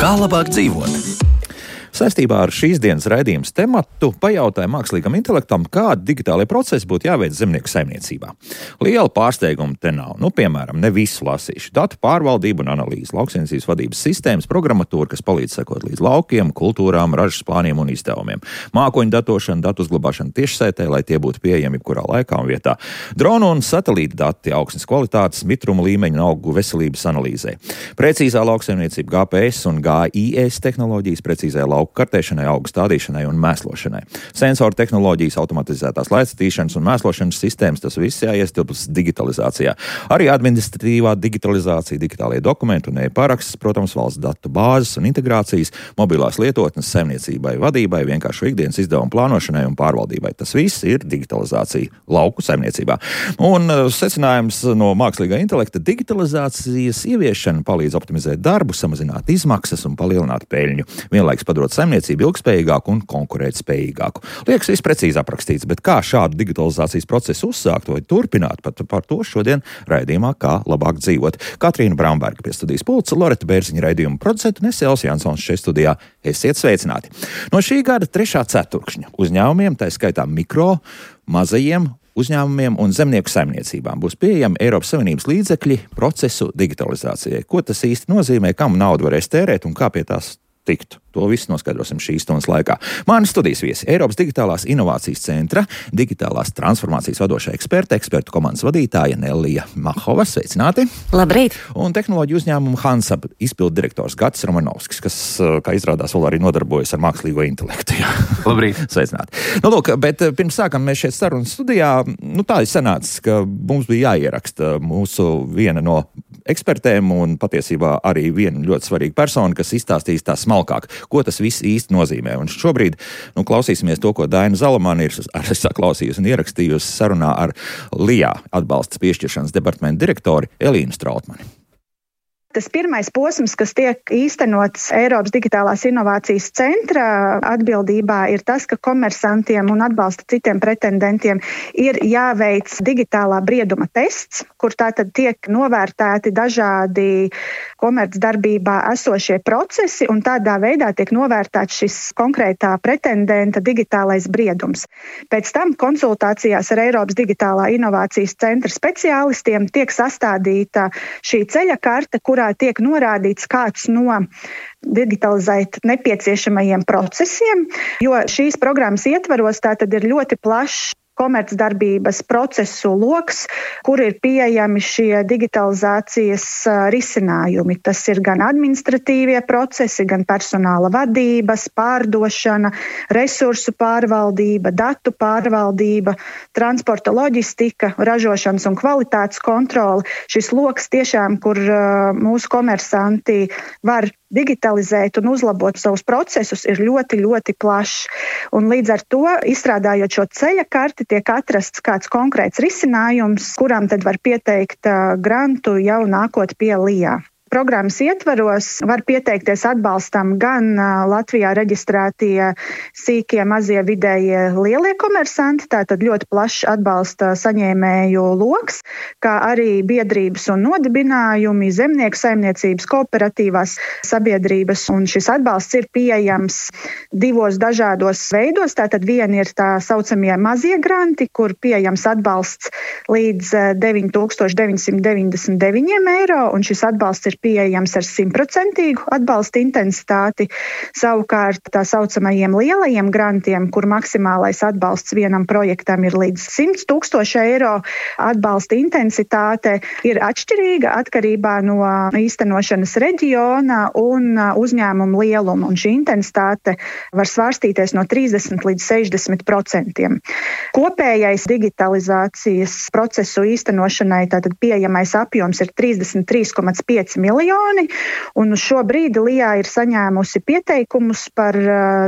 Kā labāk dzīvot? Saistībā ar šīs dienas raidījumas tematu pajautāja mākslīgam intelektam, kādi digitālie procesi būtu jāveic zemnieku saimniecībā. Liela pārsteiguma te nav. Piemēram, ne visu lasīšu. Datu pārvaldību un analīzi, lauksaimniecības vadības sistēmas, programmatūra, kas palīdz sekot līdz laukiem, kultūrām, ražas plāniem un izdevumiem. Mākoņu datošana, datu uzglabāšana tiešsaitē, lai tie būtu pieejami jebkurā laikā un vietā. Dronu un satelīta dati, augsnes kvalitātes, mitruma līmeņa un augu veselības analīzē. Precīzā lauksaimniecība, GPS un GIS tehnoloģijas, precīzai lauku kartēšanai, augu stādīšanai un mēslošanai. Sensoru tehnoloģijas, automatizētās laicatīšanas un mēslošanas sistēmas, tas viss jāiestilpst digitalizācijā. Arī administratīvā digitalizācija, digitālie dokumenti un e-paraksts, protams, valsts datu bāzes un integrācijas, mobilās lietotnes saimniecībai, vadībai, vienkārši ikdienas izdevumu plānošanai un pārvaldībai. Tas viss ir digitalizācija lauku saimniecībā. Un secinājums no mākslīgā intelekta: digitalizācijas ieviešana palīdz optimizēt darbu, samazināt izmaksas un palielināt peļņu. Vienlaikus padarot saimniecību ilgspējīgāku un konkurētspējīgāku. Liekas, viss precīzi aprakstīts, bet kā šādu digitalizācijas procesu uzsākt vai turpināt, par to šodien raidījumā Kā labāk dzīvot. Katrīna Bramberga pie studijas pulca, Loreta Bērziņa raidījuma producenta un es Jānis Jansons šeit studijā. Esiet sveicināti! No šī gada 3. ceturkšņa uzņēmumiem, tā skaitā mikro, mazajiem uzņēmumiem un zemnieku saimniecībām būs pieejami Eiropas Savienības līdzekļi procesu digitalizācijai. Ko tas īsti nozīmē, kam naudu varēs tērēt un kā pie tās tikt? To visu noskaidrosim šīs stundas laikā. Mani studijas viesi - Eiropas Digitālās inovācijas centra digitālās transformācijas vadošā ekspertu komandas vadītāja Nellija Mahova. Sveicināti! Labrīt! Un tehnoloģiju uzņēmumu Hansab izpildu direktors Gatis Romanovskis, kas, kā izrādās, vēl arī nodarbojas ar mākslīgo intelektu. Labrīt! Sveicināti! Lūk, bet pirms sākam mēs šeit sarunas studijā, tā ir sanācis, ka mums bija jāieraksta mūsu viena no ekspertēm un patiesībā arī viena ļoti svarīga persona, kas izstāstīs tā smalkāk, ko tas viss īsti nozīmē. Un šobrīd klausīsimies to, ko Daina Zalamani ir saklausījusi un ierakstījusi sarunā ar LIA atbalsta piešķiršanas departamentu direktori Elīnu Strautmani. Tas pirmais posms, kas tiek īstenots Eiropas Digitālās inovācijas centra atbildībā, ir tas, ka komersantiem un atbalsta citiem pretendentiem ir jāveic digitālā brieduma tests, kur tātad tiek novērtēti dažādi komercdarbībā esošie procesi, un tādā veidā tiek novērtēts šis konkrētā pretendenta digitālais briedums. Pēc tam konsultācijās ar Eiropas Digitālā inovācijas centra speciālistiem tiek sastādīta šī ceļa karte, kurā tiek norādīts kāds no digitalizēt nepieciešamajiem procesiem, jo šīs programmas ietvaros tātad ir ļoti plašs komercdarbības procesu loks, kur ir pieejami šie digitalizācijas risinājumi. Tas ir gan administratīvie procesi, gan personāla vadības, pārdošana, resursu pārvaldība, datu pārvaldība, transporta loģistika, ražošanas un kvalitātes kontrole. Šis loks tiešām, kur mūsu komersanti var digitalizēt un uzlabot savus procesus, ir ļoti, ļoti plašs. Un līdz ar to, izstrādājot šo ceļa karti, tiek atrasts kāds konkrēts risinājums, kuram tad var pieteikt grantu jau nākot pie LIA. Programmas ietvaros var pieteikties atbalstam gan Latvijā reģistrētie sīkie, mazie, vidējie, lielie komersanti, tātad ļoti plašs atbalsta saņēmēju loks, kā arī biedrības un nodibinājumi, zemnieku saimniecības, kooperatīvās sabiedrības, un šis atbalsts ir pieejams divos dažādos veidos. Tātad viena ir tā saucamie mazie granti, kur pieejams atbalsts līdz 9,999 eiro, un šis atbalsts ir pieejams ar 100% atbalsta intensitāti. Savukārt tā saucamajiem lielajiem grantiem, kur maksimālais atbalsts vienam projektam ir līdz 100,000 eiro, atbalsta intensitāte ir atšķirīga atkarībā no īstenošanas reģiona un uzņēmuma lieluma, un šī intensitāte var svārstīties no 30 līdz 60%. Kopējais digitalizācijas procesu īstenošanai tātad pieejamais apjoms ir 33,5 miljoni, un uz šo brīdi LIA ir saņēmusi pieteikumus par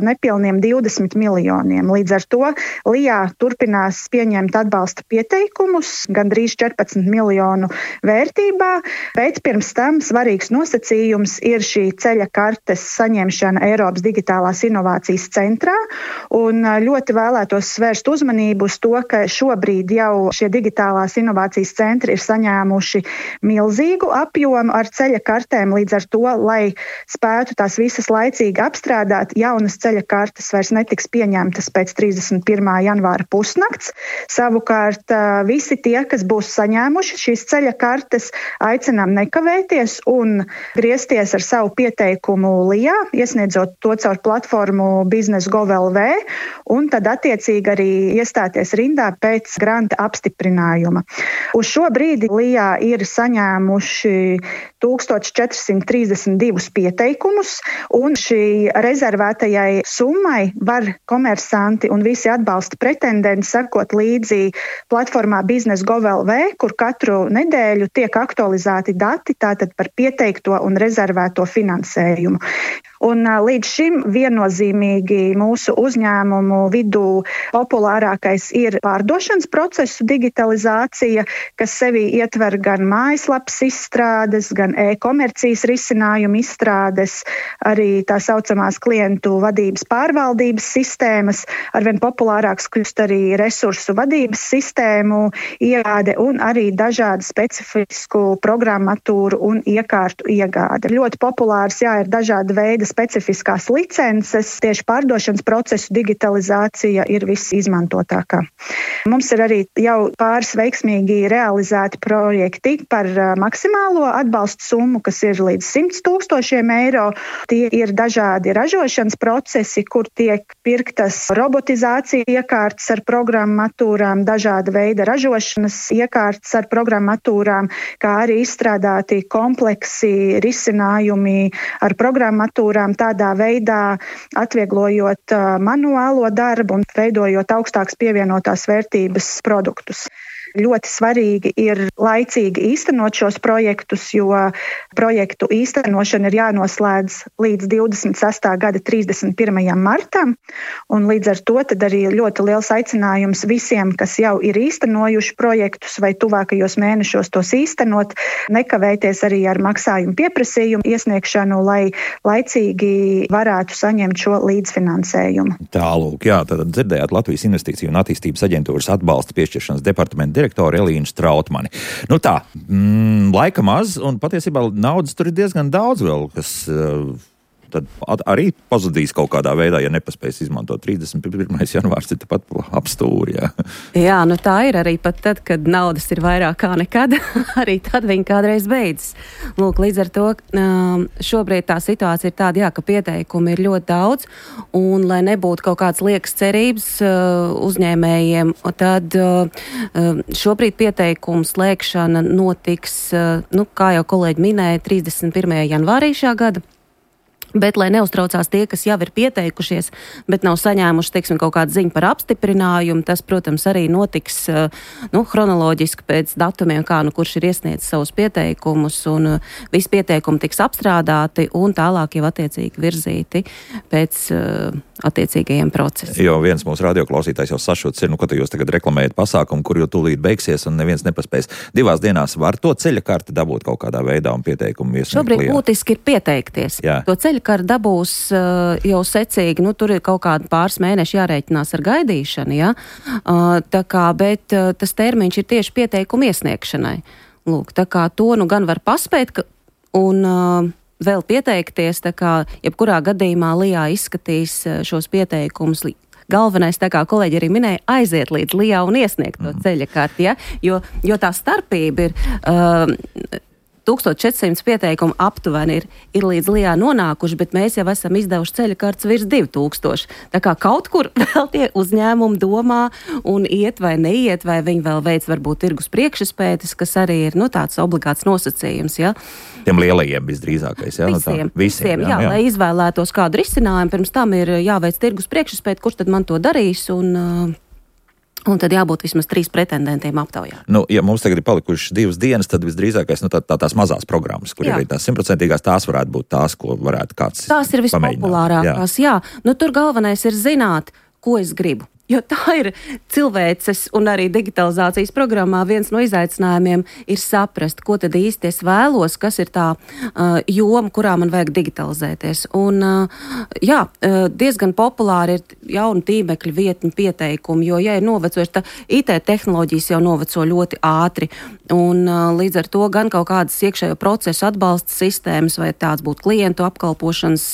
nepilniem 20 miljoniem. Līdz ar to LIA turpinās pieņemt atbalsta pieteikumus gandrīz 14 miljonu vērtībā, bet pirms tam svarīgs nosacījums ir šī ceļa kartes saņemšana Eiropas Digitālās inovācijas centrā, un ļoti vēlētos svērst uzmanību uz to, ka šobrīd jau šie digitālās inovācijas centri ir saņēmuši milzīgu apjomu ar ceļa ceļa kartēm, līdz ar to, lai spētu tās visas laicīgi apstrādāt, jaunas ceļa kartes vairs netiks pieņemtas pēc 31. janvāra pusnakts. Savukārt visi tie, kas būs saņēmuši šīs ceļa kartes, aicinām nekavēties un griezties ar savu pieteikumu LIA, iesniedzot to caur platformu Business.gov.lv, un tad attiecīgi arī iestāties rindā pēc granta apstiprinājuma. Uz šo brīdi LIA ir saņēmuši 1432 pieteikumus, un šī rezervētajai summai var komersanti un visi atbalsta pretendenti sekot līdzi platformā Business.gov.lv, kur katru nedēļu tiek aktualizēti dati tātad par pieteikto un rezervēto finansējumu. Un līdz šim viennozīmīgi mūsu uzņēmumu vidū populārākais ir pārdošanas procesu digitalizācija, kas sevī ietver gan mājaslapas izstrādes, gan e-komercijas risinājumu izstrādes, arī tā saucamās klientu vadības pārvaldības sistēmas, arvien populārāks kļūst arī resursu vadības sistēmu iegāde un arī dažādu specifisku programmatūru un iekārtu iegāde. Ļoti populārs, ir dažāda veida specifiskās licences, tieši pārdošanas procesu digitalizācija ir visizmantotākā. Mums ir arī jau pāris veiksmīgi realizēti projekti par maksimālo atbalstu summu, kas ir līdz 100 000 eiro. Tie ir dažādi ražošanas procesi, kur tiek pirktas robotizācija iekārtas ar programmatūrām, dažāda veida ražošanas iekārtas ar programmatūrām, kā arī izstrādāti kompleksi risinājumi ar programmatūrām, tādā veidā atvieglojot manuālo darbu un veidojot augstākas pievienotās vērtības produktus. Ļoti svarīgi ir laicīgi īstenot šos projektus, jo projektu īstenošana ir jānoslēdz līdz 26. gada 31. martam, un līdz ar to tad arī ļoti liels aicinājums visiem, kas jau ir īstenojuši projektus vai tuvākajos mēnešos tos īstenot, nekavēties arī ar maksājumu pieprasījumu iesniegšanu, lai laicīgi varētu saņemt šo līdzfinansējumu. Tālūk, tad dzirdējāt Latvijas Investīciju un attīstības aģentūras atbalsta piešķiršanas departamenta direktoru Elīnu Strautmani. Laika maz, un patiesībā naudas tur ir diezgan daudz vēl, kas tad arī pazudīs kaut kādā veidā, ja nepaspēs izmantot 31. janvārs, ir tepat ap stūri. Jā, tā ir arī pat tad, kad naudas ir vairāk kā nekad, arī tad viņa kādreiz beidzas. Līdz ar to šobrīd tā situācija ir tāda, ka pieteikumi ir ļoti daudz, un lai nebūtu kaut kāds liekas cerības uzņēmējiem, tad šobrīd pieteikumu slēgšana notiks, kā jau kolēģi minēja, 31. janvārī šā gada. Bet, lai neuztraucās tie, kas jau ir pieteikušies, bet nav saņēmuši, kaut kādu ziņu par apstiprinājumu, tas, protams, arī notiks chronoloģiski pēc datumiem, kurš ir iesniedzis savus pieteikumus, un visi pieteikumi tiks apstrādāti un tālāk jau attiecīgi virzīti pēc attiecīgajiem procesiem. Jo viens mūsu radioklausītājs jau sašuts ir, ka jūs tagad reklamējat pasākumu, kur jau tūlīt beigsies un neviens nepaspēs. 2 dienās var to ceļa karti dabūt kaut kādā veidā un pieteikumu iesniegt. Šobrīd būtiski ir pieteikties. Jā. To ceļa karti dabūs jau secīgi, tur ir kaut kādi pāris mēneši jārēķinās ar gaidīšanu, ja? Bet tas termiņš ir tieši pieteikumu iesniegšanai. Tā kā to gan var paspēt un vēl pieteikties, jebkurā gadījumā LIA izskatīs šos pieteikumus. Galvenais, kā kolēģi arī minēja, aiziet līdz LIA un iesniegt to ceļa karti, ja? Jo tā starpība ir 1400 pieteikumu aptuveni ir līdz LIA nonākuši, bet mēs jau esam izdevuši ceļa kartes virs 2000. Tā kā kaut kur vēl tie uzņēmumi domā un iet vai neiet, vai viņi vēl veic varbūt tirgus priekšspētes, kas arī ir tāds obligāts nosacījums. Ja? Tiem lielajiem visdrīzākais. Ja? Visiem, jā, lai izvēlētos kādu risinājumu, pirms tam ir jāveic tirgus priekšspēte, kurš tad man to darīs un tad jābūt vismaz 3 pretendentiem aptaujā. Ja mums tagad ir palikušas 2 dienas, tad visdrīzākais tās mazās programmas, kur ir tās 100%, tās varētu būt tās, ko varētu kāds pamēģināt. Tās ir vispopulārākās, jā. Tur galvenais ir zināt, ko es gribu. Jo tā ir cilvēces un arī digitalizācijas programmā viens no izaicinājumiem ir saprast, ko tad īsti es vēlos, kas ir tā joma, kurā man vajag digitalizēties. Un diezgan populāri ir jauni tīmekļu vietņu pieteikumi, jo, ja ir novecojuši, tā IT tehnoloģijas jau noveco ļoti ātri, un līdz ar to gan kaut kādas iekšējo procesu atbalsta sistēmas, vai tāds būtu klientu apkalpošanas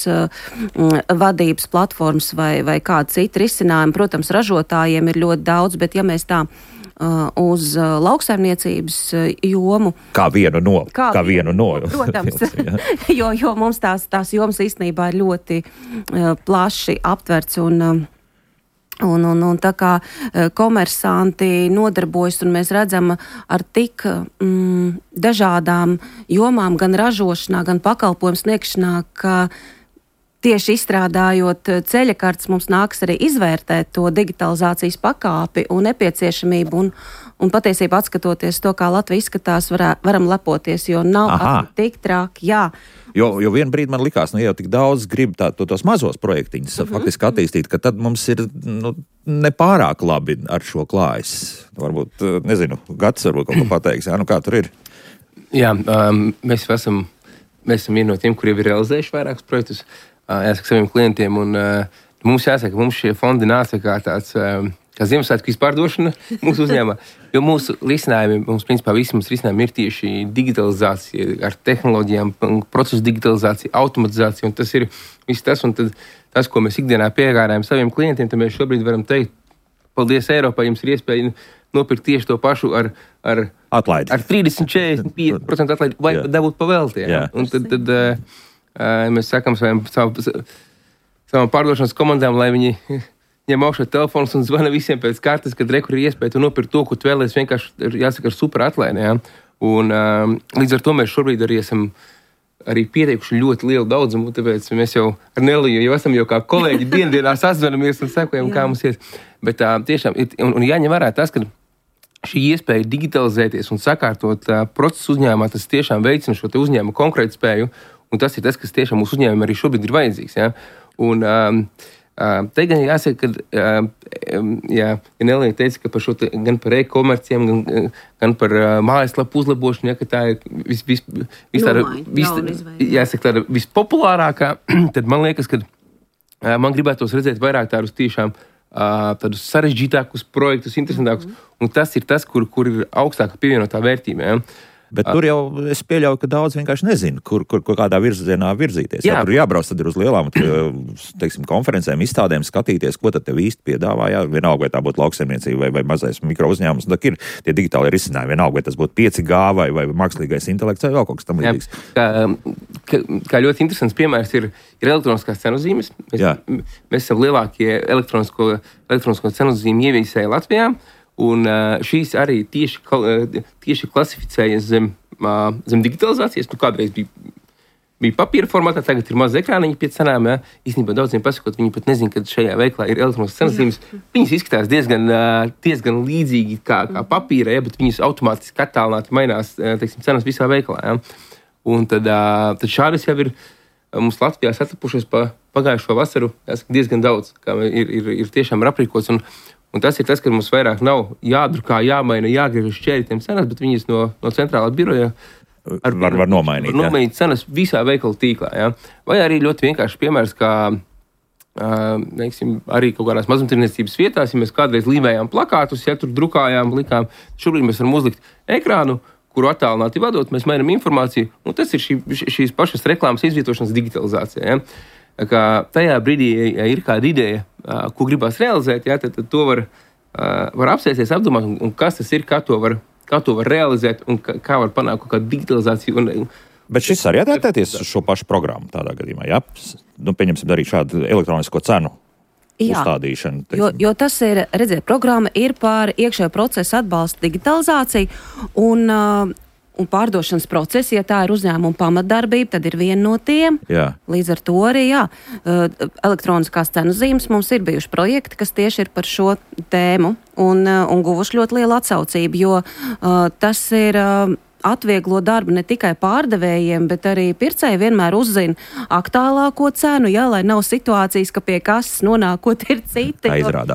vadības platformas vai kāda cita risinājuma. Protams, ražotājiem ir ļoti daudz, bet ja mēs tā uz lauksaimniecības jomu. Kā vienu no. Protams, jo mums tās jomas īstenībā ir ļoti plaši aptverts un tā kā komersanti nodarbojas un mēs redzam ar tik dažādām jomām, gan ražošanā, gan pakalpojumu sniegšanā, ka tieši izstrādājot ceļakartes mums nāks arī izvērtēt to digitalizācijas pakāpi un nepieciešamību un patiesībā atskatoties to, kā Latvija izskatās, varam lepoties, jo nav tik traki, jā. Jo vienu brīdi man likās, jau tik daudz grib tos mazos projektiņus faktiski attīstīt, ka tad mums ir nepārāk labi ar šo klājas. Varbūt, nezinu, Gatis varbūt kaut ko pateiks, kā tur ir? Jā, mēs esam vieni no tiem, kuri ir realizējuši vairākus projektus, jāsaka saviem klientiem, un mums jāsaka, ka mums šie fondi nāca kā tāds, kā Ziemassvētku izpārdošana mūsu uzņēmumā, jo mūsu risinājumi, principā visi mūsu risinājumi ir tieši digitalizācija ar tehnoloģijām, procesu digitalizācija, automatizācija, un tas ir viss tas, un tad tas, ko mēs ikdienā piegādājam saviem klientiem, tad mēs šobrīd varam teikt, paldies Eiropai, jums ir iespēja nopirkt tieši to pašu ar atlaidi. Ar 30-45% atlaidi, vai dabūt pavēltie. Un tad mēs sakam savam pārdošanas komandām, lai viņi ņem augšā telefonus un zvana visiem pēc kārtas, kad rekur ir iespēja tu nopirkt to, ko tu vēlies, vienkārši jāsaka ar super atlaidi. Un līdz ar to mēs šobrīd arī esam pieteikuši ļoti lielu daudzumu, tāpēc mēs jau ar Neliju jau esam kā kolēģi dienā sazvanamies un sekojam, kā mums iet. Bet tiešām, un jāņem vērā tas, ka šī iespēja digitalizēties un sakārtot procesu uzņēmumā, tas tiešām veicina šo te uzņēmumu konkrētspēju, un tas ir tas, kas tiešām mūsu uzņēmumam arī šobrīd ir vajadzīgs. Ja? Un te gan jāsaka, ka Nelija teica, ka par šo gan par e-komercijām, gan par mājaslapu uzlabošanu, ka tā ir tāda vispopulārākā, tad man liekas, ka man gribētos redzēt vairāk tādus tiešām tādus sarežģītākus projektus, interesantākus, un tas ir tas, kur ir augstāka pievienotā vērtība. Ja? Bet tur jau es pieļauju, ka daudz vienkārši nezinu, kur kādā virzienā virzīties. Jā. Tur jābrauc tad ir uz lielām, teiksim, konferencēm, izstādēm, skatīties, ko tad tev īsti piedāvā. Jā, vienalga, vai tā būtu lauksaimniecība vai mazais mikro uzņēmums. Tā ir tie digitālie risinājumi. Vienalga, vai tas būtu 5G vai mākslīgais intelekts vai vēl kaut kas tam līdzīgs. Kā ļoti interesants piemērs ir elektroniskās cenu zīmes. Mēs esam lielākie elektronisko cenu zīmu ieviesēji Latvijā. Un šīs arī tieši klasificējas zem digitalizācijas. Kādreiz bija papīra formātā, tagad ir maza ekrāniņa pie cenām. Ja? Īstenībā daudziem pasakot, viņi pat nezin, ka šajā veiklā ir elektroniskas cenas zīmes. Viņas izskatās diezgan līdzīgi kā papīra, ja? Bet viņas automātiski attālināti mainās cenas visā veiklā. Ja? Un tad šādas jau ir mums Latvijā satapušas pa pagājušo vasaru diezgan daudz, kā ir tiešām aprīkots. Un tas ir tas, ka mums vairāk nav jādrukā, jāmaina, jāgriež uz šķērītiem cenas, bet viņas no centrālā biroja var nomainīt. Var nomainīt cenas visā veikalu tīklā. Ja? Vai arī ļoti vienkārši piemērs, kā arī kaut kādās mazumtirniecības vietās, ja mēs kādreiz līmējām plakātus, ja tur drukājām, likām, šobrīd mēs varam uzlikt ekrānu, kuru attālināti vadot, mēs mainām informāciju, un tas ir šīs pašas reklāmas izvietošanas digitalizācija. Ja? Kā tajā brīdī, ja ir kāda ideja, ko gribās realizēt, ja, tad to var apsēsties, apdomāt, un kas tas ir, kā to var realizēt, un kā var panākt kaut kādu digitalizāciju. Bet šis arī adaptēties uz šo pašu programmu tādā gadījumā, ja? Pieņemsim darīt šādu elektronisko cenu uzstādīšanu. Jo tas ir, redziet, programma ir par iekšējo procesu atbalstu digitalizāciju, un pārdošanas procesi, ja tā ir uzņēmuma pamatdarbība, tad ir viena no tiem. Jā. Līdz ar to arī, elektroniskās cenu zīmes mums ir bijuši projekti, kas tieši ir par šo tēmu un guvuši ļoti lielu atsaucību, jo tas ir atvieglo darbu ne tikai pārdevējiem, bet arī pircēji vienmēr uzzina aktuālāko cenu, jā, lai nav situācijas, ka pie kases nonākot ir citi,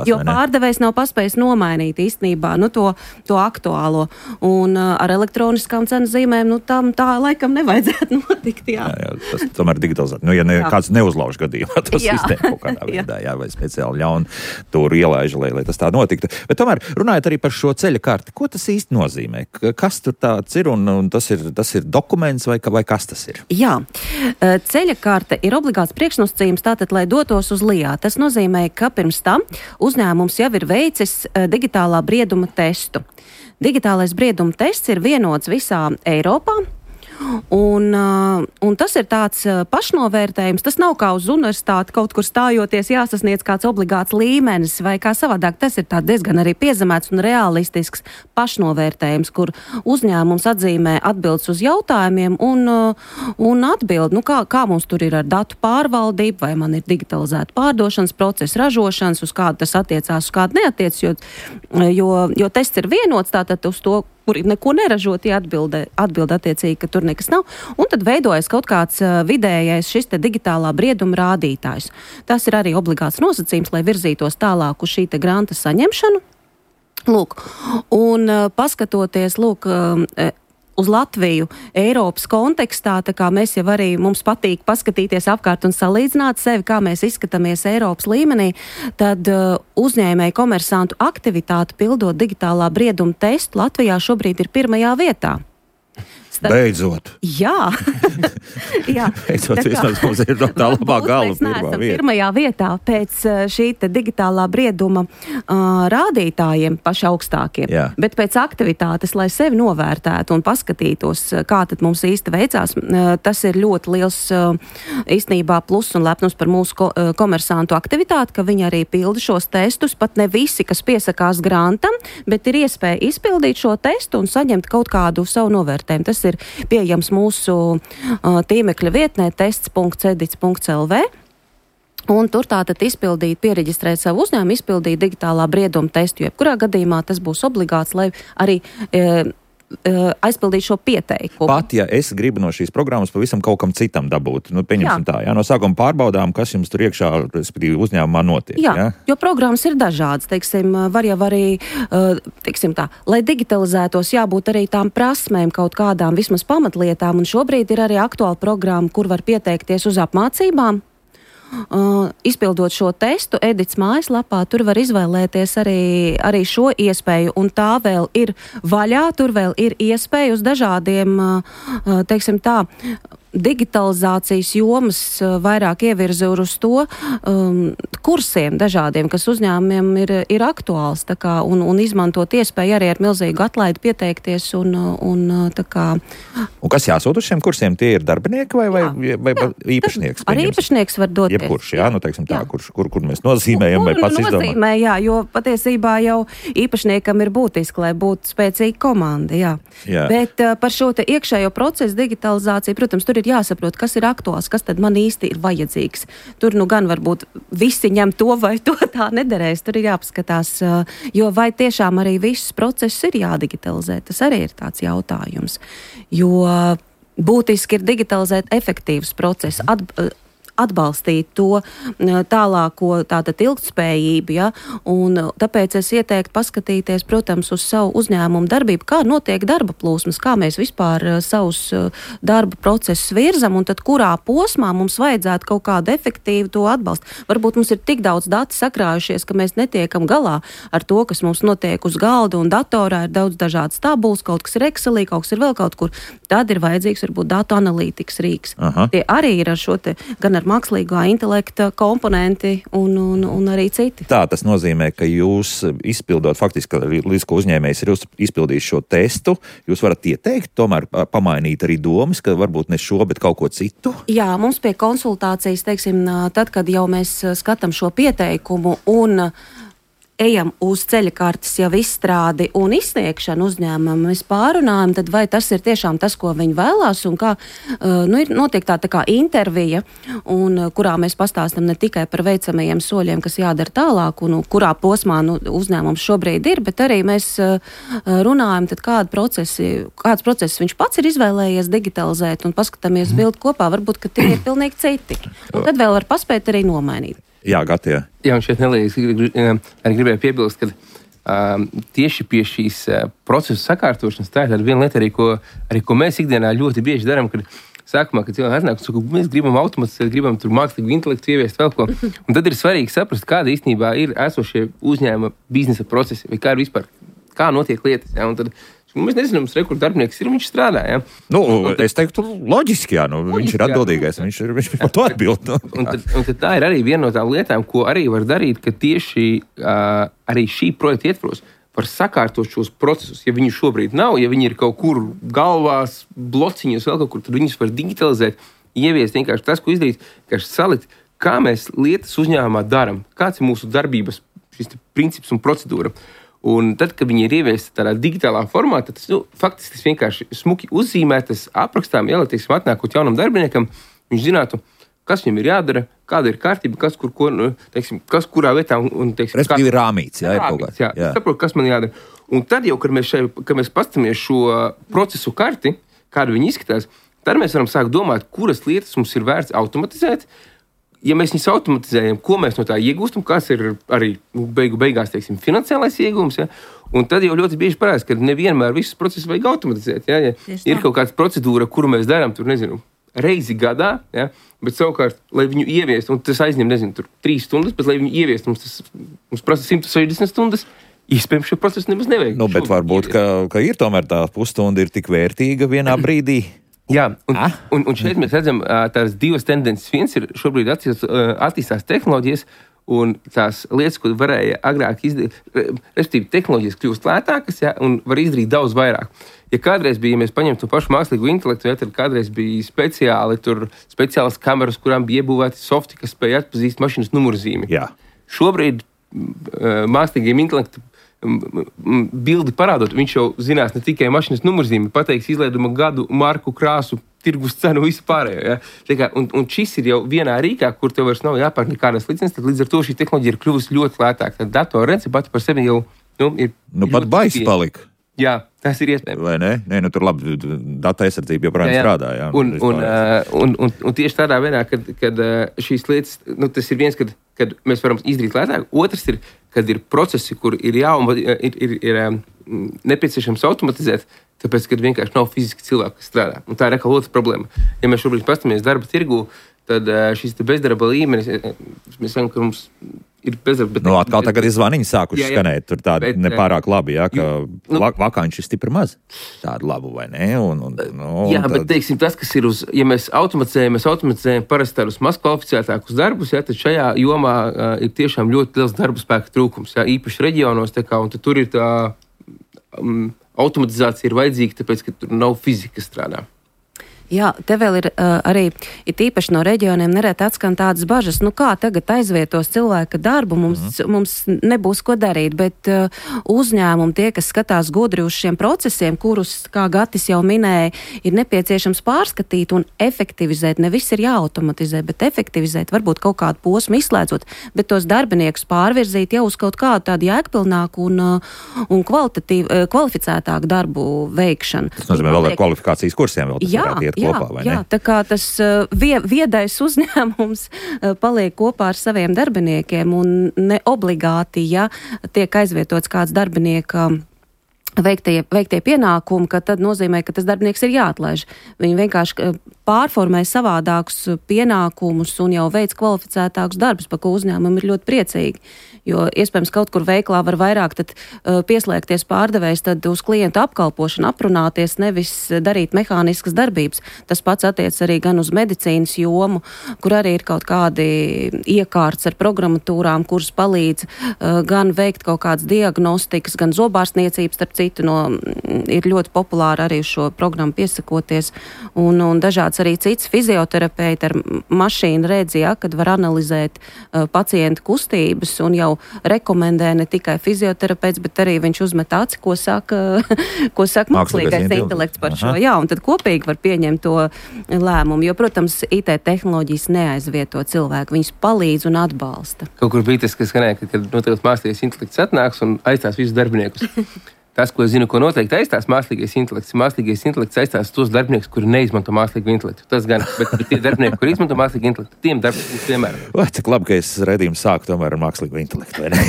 jo pārdevējs nav paspējis nomainīt īstenībā to aktuālo. Un ar elektroniskām cenu zīmēm, tam tā laikam nevajadzētu notikt, jā. Jā, tas tomēr digitalizēt. Ja kāds neuzlauž gadījumā to sistēmu kaut kādā veidā, jā, vai speciāli ļauni tur ielaiž, lai tas tā notiktu. Bet tomēr runājot arī par šo ceļa karti, ko tas īsti nozīmē? Kas tur tāds ir un tas ir dokuments vai kas tas ir? Jā, ceļa karte ir obligāts priekšnosacījums tātad, lai dotos uz LIA. Tas nozīmē, ka pirms tam uzņēmums jau ir veicis digitālā brieduma testu. Digitālais brieduma tests ir vienots visā Eiropā. Un tas ir tāds pašnovērtējums, tas nav kā uz universitāti kaut kur stājoties jāsasniedz kāds obligāts līmenis vai kā savādāk, tas ir tā diezgan arī piezemēts un realistisks pašnovērtējums, kur uzņēmums atzīmē atbildes uz jautājumiem un atbild, kā mums tur ir ar datu pārvaldību, vai man ir digitalizēta pārdošanas procesa, ražošanas, uz kādu tas attiecās, uz kādu neatiec, jo tests ir vienots, tātad uz to, kur neko neražot, atbild attiecīgi, ka tur nekas nav, un tad veidojas kaut kāds vidējais šis te digitālā brieduma rādītājs. Tas ir arī obligāts nosacījums, lai virzītos tālāk uz šī te granta saņemšanu. Lūk, un paskatoties, uz Latviju Eiropas kontekstā, tā kā mēs jau arī mums patīk paskatīties apkārt un salīdzināt sevi, kā mēs izskatāmies Eiropas līmenī, tad uzņēmēju komersantu aktivitāti pildot digitālā brieduma testu Latvijā šobrīd ir 1. vietā. Beidzot. Jā. Beidzot, vismaz mums ir tā labā gala pirmajā vietā pēc šī te digitālā brieduma rādītājiem paši augstākiem. Jā. Bet pēc aktivitātes, lai sevi novērtētu un paskatītos, kā tad mums īsti veicās, tas ir ļoti liels īstenībā plus un lepnums par mūsu komersantu aktivitāti, ka viņi arī pilda šos testus, pat ne visi, kas piesakās grantam, bet ir iespēja izpildīt šo testu un saņemt kaut kādu savu novērtējumu. Tas ir pieejams mūsu tīmekļa vietnē tests.edits.lv. Un tur tātad piereģistrēt savu uzņēmumu, izpildīt digitālā brieduma testu, jo jebkurā gadījumā tas būs obligāts, lai arī aizpildīt šo pieteikumu. Pat, ja es gribu no šīs programmas pavisam kaut kam citam dabūt, pieņemsim tā, no sākuma pārbaudām, kas jums tur iekšā, respektīvi, uzņēmumā notiek. Jā, jo programmas ir dažādas, var jau arī, lai digitalizētos, jābūt arī tām prasmēm kaut kādām vismaz pamatlietām, un šobrīd ir arī aktuāla programma, kur var pieteikties uz apmācībām. Izpildot šo testu, Edits mājaslapā, tur var izvēlēties arī šo iespēju, un tā vēl ir vaļā, tur vēl ir iespēja uz dažādiem, digitalizācijas jomas vairāk ievirza uz to kursiem dažādiem, kas uzņēmumiem ir aktuāls, un izmantot iespēju arī ar milzīgu atlaidi pieteikties un kas jāsūt uz šiem kursiem? Tie ir darbinieki vai īpašnieks? Arī īpašnieks var doties. Jebkurš, kur mēs nozīmējam vai pats izdomā? Nozīmē, jo patiesībā jau īpašniekam ir būtiski, lai būtu spēcīga komanda, jā. Bet par šo te iekšējo procesu digitalizāciju, protams, tur ir jāsaprot, kas ir aktuāls, kas tad man īsti ir vajadzīgs. Tur gan varbūt visi ņem to vai to tā nederēs. Tur ir jāpaskatās, jo vai tiešām arī visus procesus ir jādigitalizē. Tas arī ir tāds jautājums. Jo būtiski ir digitalizēt efektīvus procesus, atbalstīt to tālāko tātad ilgtspējību, ja, un tāpēc es ieteiktu paskatīties, protams, uz savu uzņēmumu darbību, kā notiek darba plūsmas, kā mēs vispār savus darba procesus virzam, un tad kurā posmā mums vajadzētu kaut kādu efektīvu to atbalstu. Varbūt mums ir tik daudz dati sakrājušies, ka mēs netiekam galā ar to, kas mums notiek uz galda, un datorā ir daudz dažādas tabulas, kaut kas ir Excelī, kaut kas ir vēl kaut kur. Tad ir vajadzīgs varbūt datu analītikas rīks. Tie arī ir ar šo te, gan ar mākslīgā intelekta komponenti un arī citi. Tā tas nozīmē, ka jūs izpildot faktiski, līdz ko uzņēmējs ir izpildījis šo testu, jūs varat ieteikt, tomēr pamainīt arī domas, ka varbūt ne šo, bet kaut ko citu? Jā, mums pie konsultācijas, tad, kad jau mēs skatām šo pieteikumu un ejam uz ceļa kartes jau izstrādi un izsniegšanu uzņēmumam, mēs pārunājam, tad vai tas ir tiešām tas, ko viņi vēlās, un kā, ir notiek tā kā intervija, un kurā mēs pastāstam ne tikai par veicamajiem soļiem, kas jādara tālāk, un kurā posmā uzņēmums šobrīd ir, bet arī mēs runājam, tad kāds process viņš pats ir izvēlējies digitalizēt, un paskatāmies bildi kopā, varbūt, ka tie ir pilnīgi citi. Un tad vēl var paspēt arī nomainīt. Jā, Gatija. Jā, un šeit nelīgi arī gribēju piebilst, ka tieši pie šīs procesu sakārtošanas tā ir viena lieta, arī ko mēs ikdienā ļoti bieži darām, kad sākumā, kad cilvēki atnāk, mēs gribam automatizēt, gribam tur mākslīgu intelektu ieviest vēl ko. Un tad ir svarīgi saprast, kāda īstenībā ir esošie uzņēmuma biznesa procesi, vai kā ir vispār, kā notiek lietas. Ja? Un tad mēs nezinām, kur darbinieks ir, viņš strādā. Ja? Es teiktu, loģiski, jā, viņš ir atbildīgais, viņš par to atbild. Un tad tā ir arī viena no tām lietām, ko arī var darīt, ka tieši arī šī projekta ietvaros var sakārtot šos procesus. Ja viņi šobrīd nav, ja viņi ir kaut kur galvās, blociņos vēl kaut kur, tad viņus var digitalizēt, ieviest vienkārši tas, ko izdarīt, vienkārši salikt, kā mēs lietas uzņēmumā daram, kāds ir mūsu darbības šis princips un procedūra. Un tad, kad viņi ir ieviesti tādā digitālā formā, tad faktiski tas vienkārši smuki uzzīmētas aprakstām, ja, lai, teiksim, atnākot jaunam darbiniekam, viņš zinātu, kas viņam ir jādara, kāda ir kārtība, kas kur ko, teiksim, kas kurā vietā. Un, teiksim, respektīvi rāmīts, jā, ir kaut kāds. Jā, saprotu, kas man jādara. Un tad jau, kad mēs paskatāmies šo procesu karti, kādu viņi izskatās, tad mēs varam sākt domāt, kuras lietas mums ir vērts automatizēt. Ja mēs viņus automatizējam, ko mēs no tā iegūstam, kas ir arī beigās, teiksim, finansiālais iegūms, ja? Un tad jau ļoti bieži parādās, ka nevienmēr visus procesus vajag automatizēt. Ja? Ja ir kaut kāda procedūra, kuru mēs darām, tur, nezinu, reizi gadā, ja? Bet savukārt, lai viņu ieviest, un tas aizņem, nezinu, tur 3 stundas, bet lai viņu ieviest, mums prasa 160 stundas, iespējams, šo procesu nemaz nevajag. Bet varbūt, ka ir tomēr tā pusstunda ir tik vērtīga vienā brīdī. Jā, un šeit mēs redzam tās divas tendences. Viens ir šobrīd attīstās tehnoloģijas, un tās lietas, ko varēja agrāk izdarīt, respektīvi tehnoloģijas kļūst lētākas, ja, un var izdarīt daudz vairāk. Ja kādreiz bija, ja mēs paņemtu to pašu mākslīgo intelektu, ja, tad kādreiz bija speciālas kameras, kurām bija iebūvēti softi, kas spēja atpazīst mašīnas numurzīmi. Jā. Šobrīd mākslīgiem intelektu bildi parādot, viņš jau zinās ne tikai mašīnas numurzīmi, pateiks izlaiduma gadu, marku, krāsu, tirgus cenu, visu pārējo. Ja? Un šis ir jau vienā rīkā, kur tev vairs nav jāpērk nekādas licences, tad līdz ar to šī tehnoloģija ir kļuvusi ļoti lētāka. Tad datorrence pati par sevi jau ir pat baisi palika. Jā, tas ir iespējams. Vai ne? Nē, tur labi, data aizsardzība joprojām strādā. Jā. Un tieši tādā veidā, kad šīs lietas, tas ir viens, kad mēs varam izdarīt lētāk. Otrs ir, kad ir procesi, kur ir nepieciešams automatizēt, tāpēc, kad vienkārši nav fiziski cilvēki, kas strādā. Un tā ir atkal otra problēma. Ja mēs šobrīd pastamies darba tirgu, tad šis bezdarba līmenis, mēs sakām, ka mums ir bezdarba. Atkal tagad ir zvaniņi sākuši skanēt, tur tādi nepārāk labi, jā, ka vakanči ir stipri maz. Tādu labu, vai ne? Bet teiksim, tas, kas ir ja mēs automatizējam parasti tādus maz kvalificētākus darbus, jā, tad šajā jomā ir tiešām ļoti liels darba spēka trūkums, jā, īpaši reģionos, un tad tur ir tā automatizācija ir vajadzīga, tāpēc, ka tur nav fizika, kas strādā. Jā, te vēl ir arī, īpaši no reģioniem nereti atskan tādas bažas, kā tagad aizvietos cilvēka darbu, mums nebūs ko darīt, bet uzņēmumi, tie, kas skatās gudri uz šiem procesiem, kurus, kā Gatis jau minēja, ir nepieciešams pārskatīt un efektivizēt. Ne viss ir jāautomatizē, bet efektivizēt, varbūt kaut kādu posmu izslēdzot, bet tos darbiniekus pārvirzīt jau uz kaut kādu tādu jēgpilnāku un kvalificētāku darbu veikšanu. Tas nozīmē vēl ar kvalifikācijas kursiem vēl tas varētu iet. Kopā, jā, tā kā tas viedais uzņēmums paliek kopā ar saviem darbiniekiem un ne obligāti, ja tiek aizvietots kāds darbinieka veiktie pienākumi, ka tad nozīmē, ka tas darbinieks ir jāatlaiž. Viņi vienkārši pārformē savādākus pienākumus un jau veic kvalificētākus darbus, par ko uzņēmumi ir ļoti priecīgi. Jo iespējams kaut kur veiklā var vairāk tad pieslēgties pārdevējs tad uz klientu apkalpošanu, aprunāties, nevis darīt mehāniskas darbības. Tas pats attiec arī gan uz medicīnas jomu, kur arī ir kaut kādi iekārts ar programmatūrām, kuras palīdz gan veikt kaut kādas diagnostikas, gan zobārstniecības, starp citu ir ļoti populāri arī šo programmu piesakoties, un dažāds arī cits fizioterapeiti ar mašīnu redzi, kad var analizēt pacientu kustības, un jau rekomendē ne tikai fizioterapeits, bet arī viņš uzmet aci, ko saka mākslīgais intelekts par šo. Jā, un tad kopīgi var pieņemt to lēmumu, jo, protams, IT tehnoloģijas neaizvieto cilvēku, viņus palīdz un atbalsta. Kaut kur bija tas, kas skanēja, kad noteikti mākslīgais intelekts atnāks un aizstās visus darbiniekus. Tas, ko es zinu, ko noteikti aizstās mākslīgais intelekts aizstās tos darbiniekus, kuri neizmanto mākslīgu intelektu. Tas gan, bet tie darbinieki, kuri izmanto mākslīgu intelektu, tiem darbiniekiem vienmēr. Cik labi, ka es redzējumu sāku tomēr ar mākslīgu intelektu, vai ne?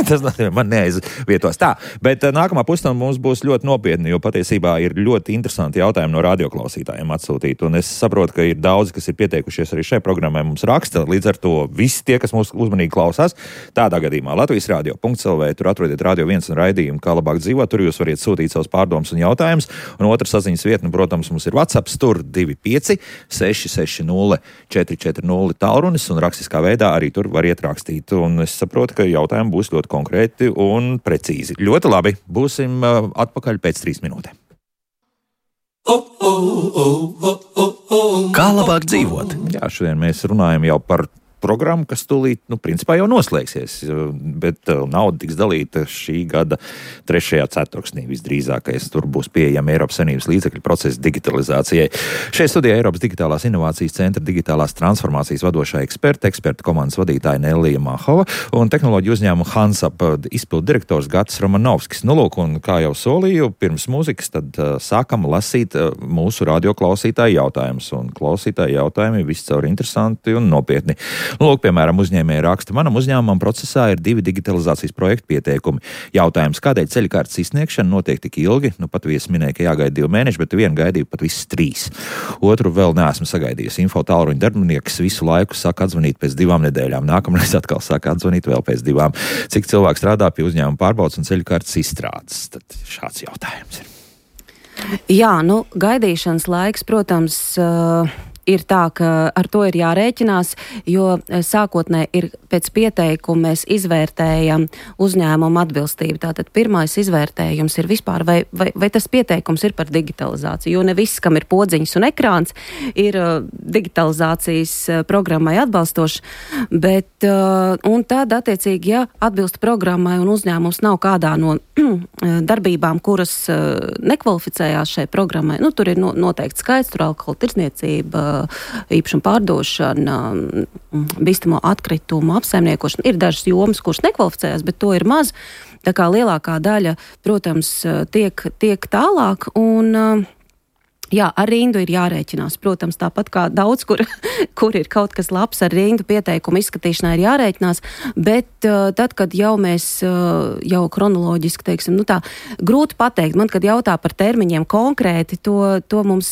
Tas man neaizvietos tā. Bet nākamā pusstunda mums būs ļoti nopietni, jo patiesībā ir ļoti interesanti jautājumi no radioklausītājiem atsūtīt. Un es saprotu, ka ir daudzi, kas ir pieteikušies arī šai programmai, mums raksta. Līdz ar to visi tie, kas mūs uzmanīgi klausās, tādā gadījumā Latvijas radio.lv, tur atrodiet Radio 1 un raidījumu, kā labāk dzīvot. Tur jūs variet sūtīt savus pārdomus un jautājumus. Un otra saziņas vietne, protams, mums ir WhatsApp, tur 25 660 440 tālrunis, un rakstiskā veidā arī tur variet rakstīt. Un es saprotu, ka jautājumi būs ļoti konkrēti un precīzi. Ļoti labi. Būsim atpakaļ pēc 3 minūtēm. Kā labāk dzīvot? Jā, šodien mēs runājam jau par programma, kas tūlīt, principā jau noslēgsies, bet nauda tiks dalīta šī gada 3. ceturksnī visdrīzākais. Tur būs pieejami Eiropas Savienības līdzekļu procesa digitalizācijai. Šeit studijā Eiropas Digitālās inovācijas centra digitālās transformācijas vadošā eksperta komandas vadītāja Nellija Mahova un tehnoloģiju uzņēmuma Hansap izpildu direktors Gatis Romanovskis. Nu, lūk, un kā jau solīju, pirms mūzikas, tad sākam lasīt mūsu radioklausītāju jautājumus. Un klausītāju jautājumi viscaur interesanti un nopietni. Lūk, piemēram, uzņēmēji raksta, manam uzņēmumam procesā ir 2 digitalizācijas projektu pieteikumi. Jautājums, kādēļ ceļkartes izsniegšana notiek tik ilgi? Nu, pat viesi minēja, ka jāgaida 2 mēneši, bet vienu gaidīju pat visas 3. Otru vēl neesmu sagaidījis. Info tālruņa darbinieks visu laiku saka atzvanīt pēc 2 nedēļām. Nākamreiz atkal saka atzvanīt vēl pēc 2. Cik cilvēks strādā pie uzņēmuma pārbaudas un ceļkartes izstrādes? Tad šāds jautājums ir. Jā, gaidīšanas laiks, protams, ir tā, ka ar to ir jārēķinās, jo sākotnē ir pēc pieteikuma mēs izvērtējam uzņēmumu atbilstību. Tātad pirmais izvērtējums ir vispār, vai tas pieteikums ir par digitalizāciju, jo ne viss, kam ir podziņas un ekrāns, ir digitalizācijas programmai atbalstoši, bet, un tad, attiecīgi, ja atbilst programmai un uzņēmums nav kādā no darbībām, kuras nekvalificējās šai programmai, tur ir noteikti skaits, tur alkohola tirdzniecība, īpašuma pārdošana, bīstamo atkritumu apsaimniekošana. Ir dažas jomas, kuras nekvalificējās, bet to ir maz. Tā kā lielākā daļa, protams, tiek tālāk un jā, ar rindu ir jārēķinās. Protams, tāpat kā daudz, kur ir kaut kas labs, ar rindu pieteikumu izskatīšanā ir jārēķinās, bet tad, kad jau mēs jau kronoloģiski, teiksim, tā grūti pateikt. Man, kad jautā par termiņiem konkrēti, to mums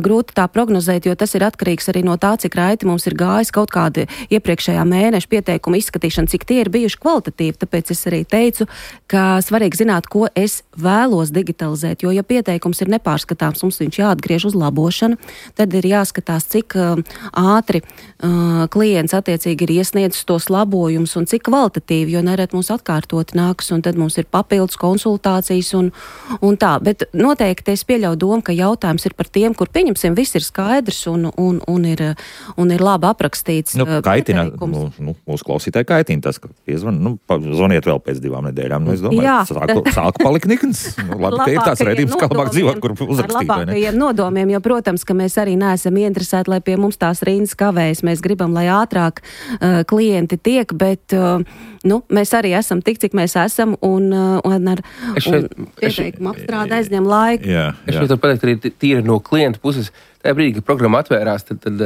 grūti tā prognozēt, jo tas ir atkarīgs arī no tā, cik raiti mums ir gājis kaut kādi iepriekšējā mēneša pieteikumu izskatīšana, cik tie ir bijuši kvalitatīvi. Tāpēc es arī teicu, ka svarīgi zināt, ko es vēlos digitalizēt, jo ja pieteikums ir nepārskatāms, mums viņš jāatgriež uz labošanu, tad ir jāskatās, cik ātri klients attiecīgi ir iesniedzis tos labojumus un cik kvalitatīvi, jo nerad mums atkārtoti nākas, un tad mums ir papildus konsultācijas un tā. Bet noteikti es pieļauju domu, ka jautājums ir par tiem, kur pieņemsim, viss ir skaidrs un ir labi aprakstīts. Kaitina, mūsu klausītāji kaitina tas, ka zvaniet vēl pēc 2 nedēļām. Es domāju, sāku palikt nikns. Labi, ka ir tāds redzījums, kā labāk dzīvot, kur uzrakstīt. Labākajiem nodomiem, jo, protams, ka mēs arī neesam ieinteresēti, lai pie mums tās rindas kavējas. Mēs gribam, lai ātrāk klienti tiek, bet mēs arī esam tik, cik mēs esam, un pieteikumu apstrāde aizņem laiku. Es šeit varu pateikt arī tīri no klienta puses. Tajā brīdī, kad programma atvērās, tad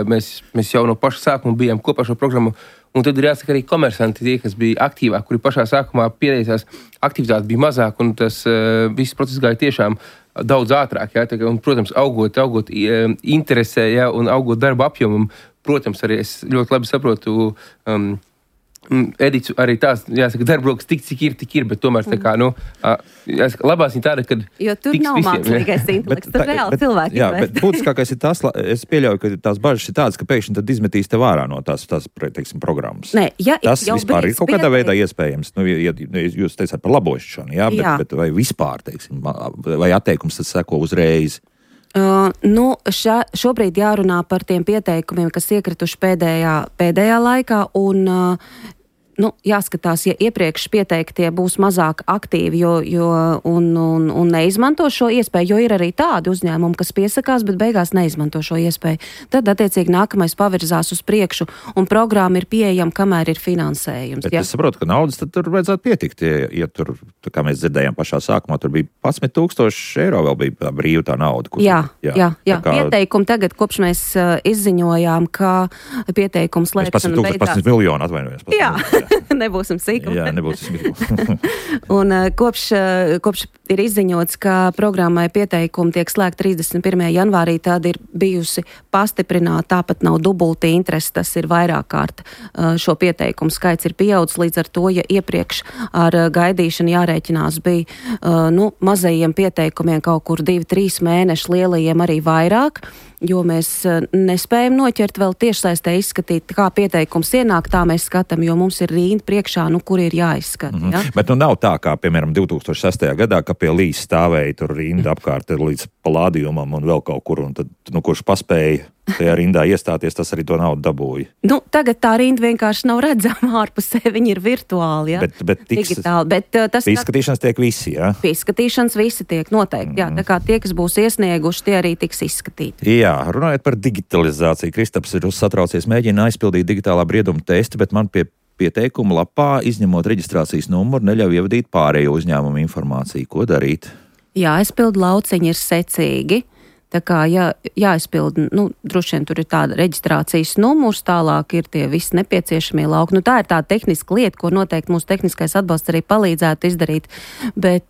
mēs jau no paša sākuma bijām kopā šo programmu. Un tad ir jāsaka arī komersanti, tie, kas bija aktīvāk, kuri pašā sākumā pieteicās, aktivitāte bija mazāk, un tas viss process gāja tiešām daudz ātrāk. Jā, un, protams, augot interesē, jā, un augot darba apjomam, protams, arī es ļoti labi saprotu Edits arī tās, jāsaka, darbrokas tik ir, bet tomēr tā kā, jāsaka, labās viņa tāda, kad jo tur nav mākslīgais intelekts, tur reāli cilvēki. Jā, bet būtiskākais ir tas, es pieļauju, ka tās bažas ir tādas, ka pēkšņi tad izmetīs te vārā no tās teiksim, programmas. Nē, tas vispār ir kaut kādā veidā iespējams. Ja jūs teicāt par labošanu, bet vai vispār, teiksim, vai atteikums tad seko uzreiz? Šobrīd jārunā par tiem pieteikumiem, kas iekrituši pēdējā laikā, un jāskatās, ja iepriekš pieteiktie būs mazāk aktīvi un neizmanto šo iespēju, jo ir arī tādi uzņēmumi, kas piesakās, bet beigās neizmanto šo iespēju. Tad, attiecīgi, nākamais pavirzās uz priekšu, un programma ir pieejama, kamēr ir finansējums. Bet es saprotu, ka naudas tad tur vajadzētu pietikt, ja tur, kā mēs dzirdējām pašā sākumā, tur bija 11,000 eiro vēl bija brīva tā nauda. Jā. Pieteikumi tagad, kopš mēs izziņojām, ka pieteikums slēgšana beidzās. 11 miljonu atvainojos. Jā. Nebūsim sīkumi. Jā, nebūsim sīkumi. Un kopš ir izziņots, ka programmai pieteikumi tiek slēgti 31. janvārī, tad ir bijusi pastiprināta, tāpat nav dubulti interesi, tas ir vairāk kārt. Šo pieteikumu skaits ir pieaudzis, līdz ar to, ja iepriekš ar gaidīšanu jārēķinās bija mazajiem pieteikumiem kaut kur 2-3 mēneši, lielajiem arī vairāk, jo mēs nespējam noķert vēl tiešsaistē izskatīt, kā pieteikums ienāk, tā mēs skatām, jo mums ir rinda priekšā, kur ir jāizskata. Ja? Bet nav tā, kā, piemēram, 2006. gadā, ka pie Līs stāvēja tur rinda apkārt līdz Palādījumam un vēl kaut kur, un tad, kurš paspēja tajā rindā iestāties, tas arī to naudu dabūja. Tagad tā rinda vienkārši nav redzama ārpusē, viņi ir virtuāli, ja? Bet digitāli. Bet tas izskatīšanas tiek visi, jā? Izskatīšanas visi tiek noteikti, jā. Tā kā tie, kas būs iesnieguši, tie arī tiks izskatīti. Jā, runājot par digitalizāciju, Kristaps ir satraucies, mēģina aizpildīt digitālā brieduma testi, bet man pie pieteikuma lapā, izņemot reģistrācijas numuru, neļauj ievadīt pārējo uzņēmumu informāciju. Ko darīt? Jāizpild lauciņi ir secīgi. Tā kā jāizpild, droši vien tur ir tāda reģistrācijas numurs, tālāk ir tie visi nepieciešamie lauki. Tā ir tāda tehniska lieta, ko noteikti mūsu tehniskais atbalsts arī palīdzētu izdarīt, bet,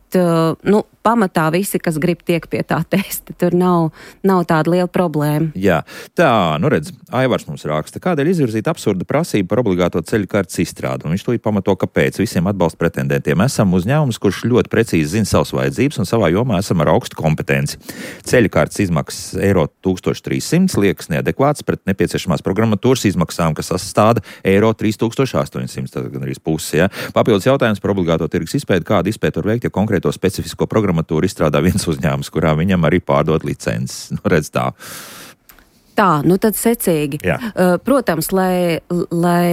pamatā visi, kas grib tiek pie tā testa, tur nav tāda liela problēma. Jā, tā, redz, Aivars mums raksta, kādēļ izvirzīt absurda prasību par obligāto ceļu kartes izstrādi, un viņš to pamato, kāpēc visiem atbalsta pretendentiem esam uzņēmums, kurš ļoti precīzi zina savas vajadzības un savā jomā esam ar augstu kompetenci. Ceļu kartes izmaksas eiro 1300 liekas neadekvāts pret nepieciešamās programmatūras izmaksām, kas sastāda eiro 3800, tad gan arī pusi, ja. Papildus jautājums par obligāto tirgus izpēti, kādu izpēti var veikt, ja konkrēto specifisko programmatūru izstrādā viens uzņēmums, kurā viņam arī pārdod licences. Redz tā. Tā, tad secīgi. Protams, lai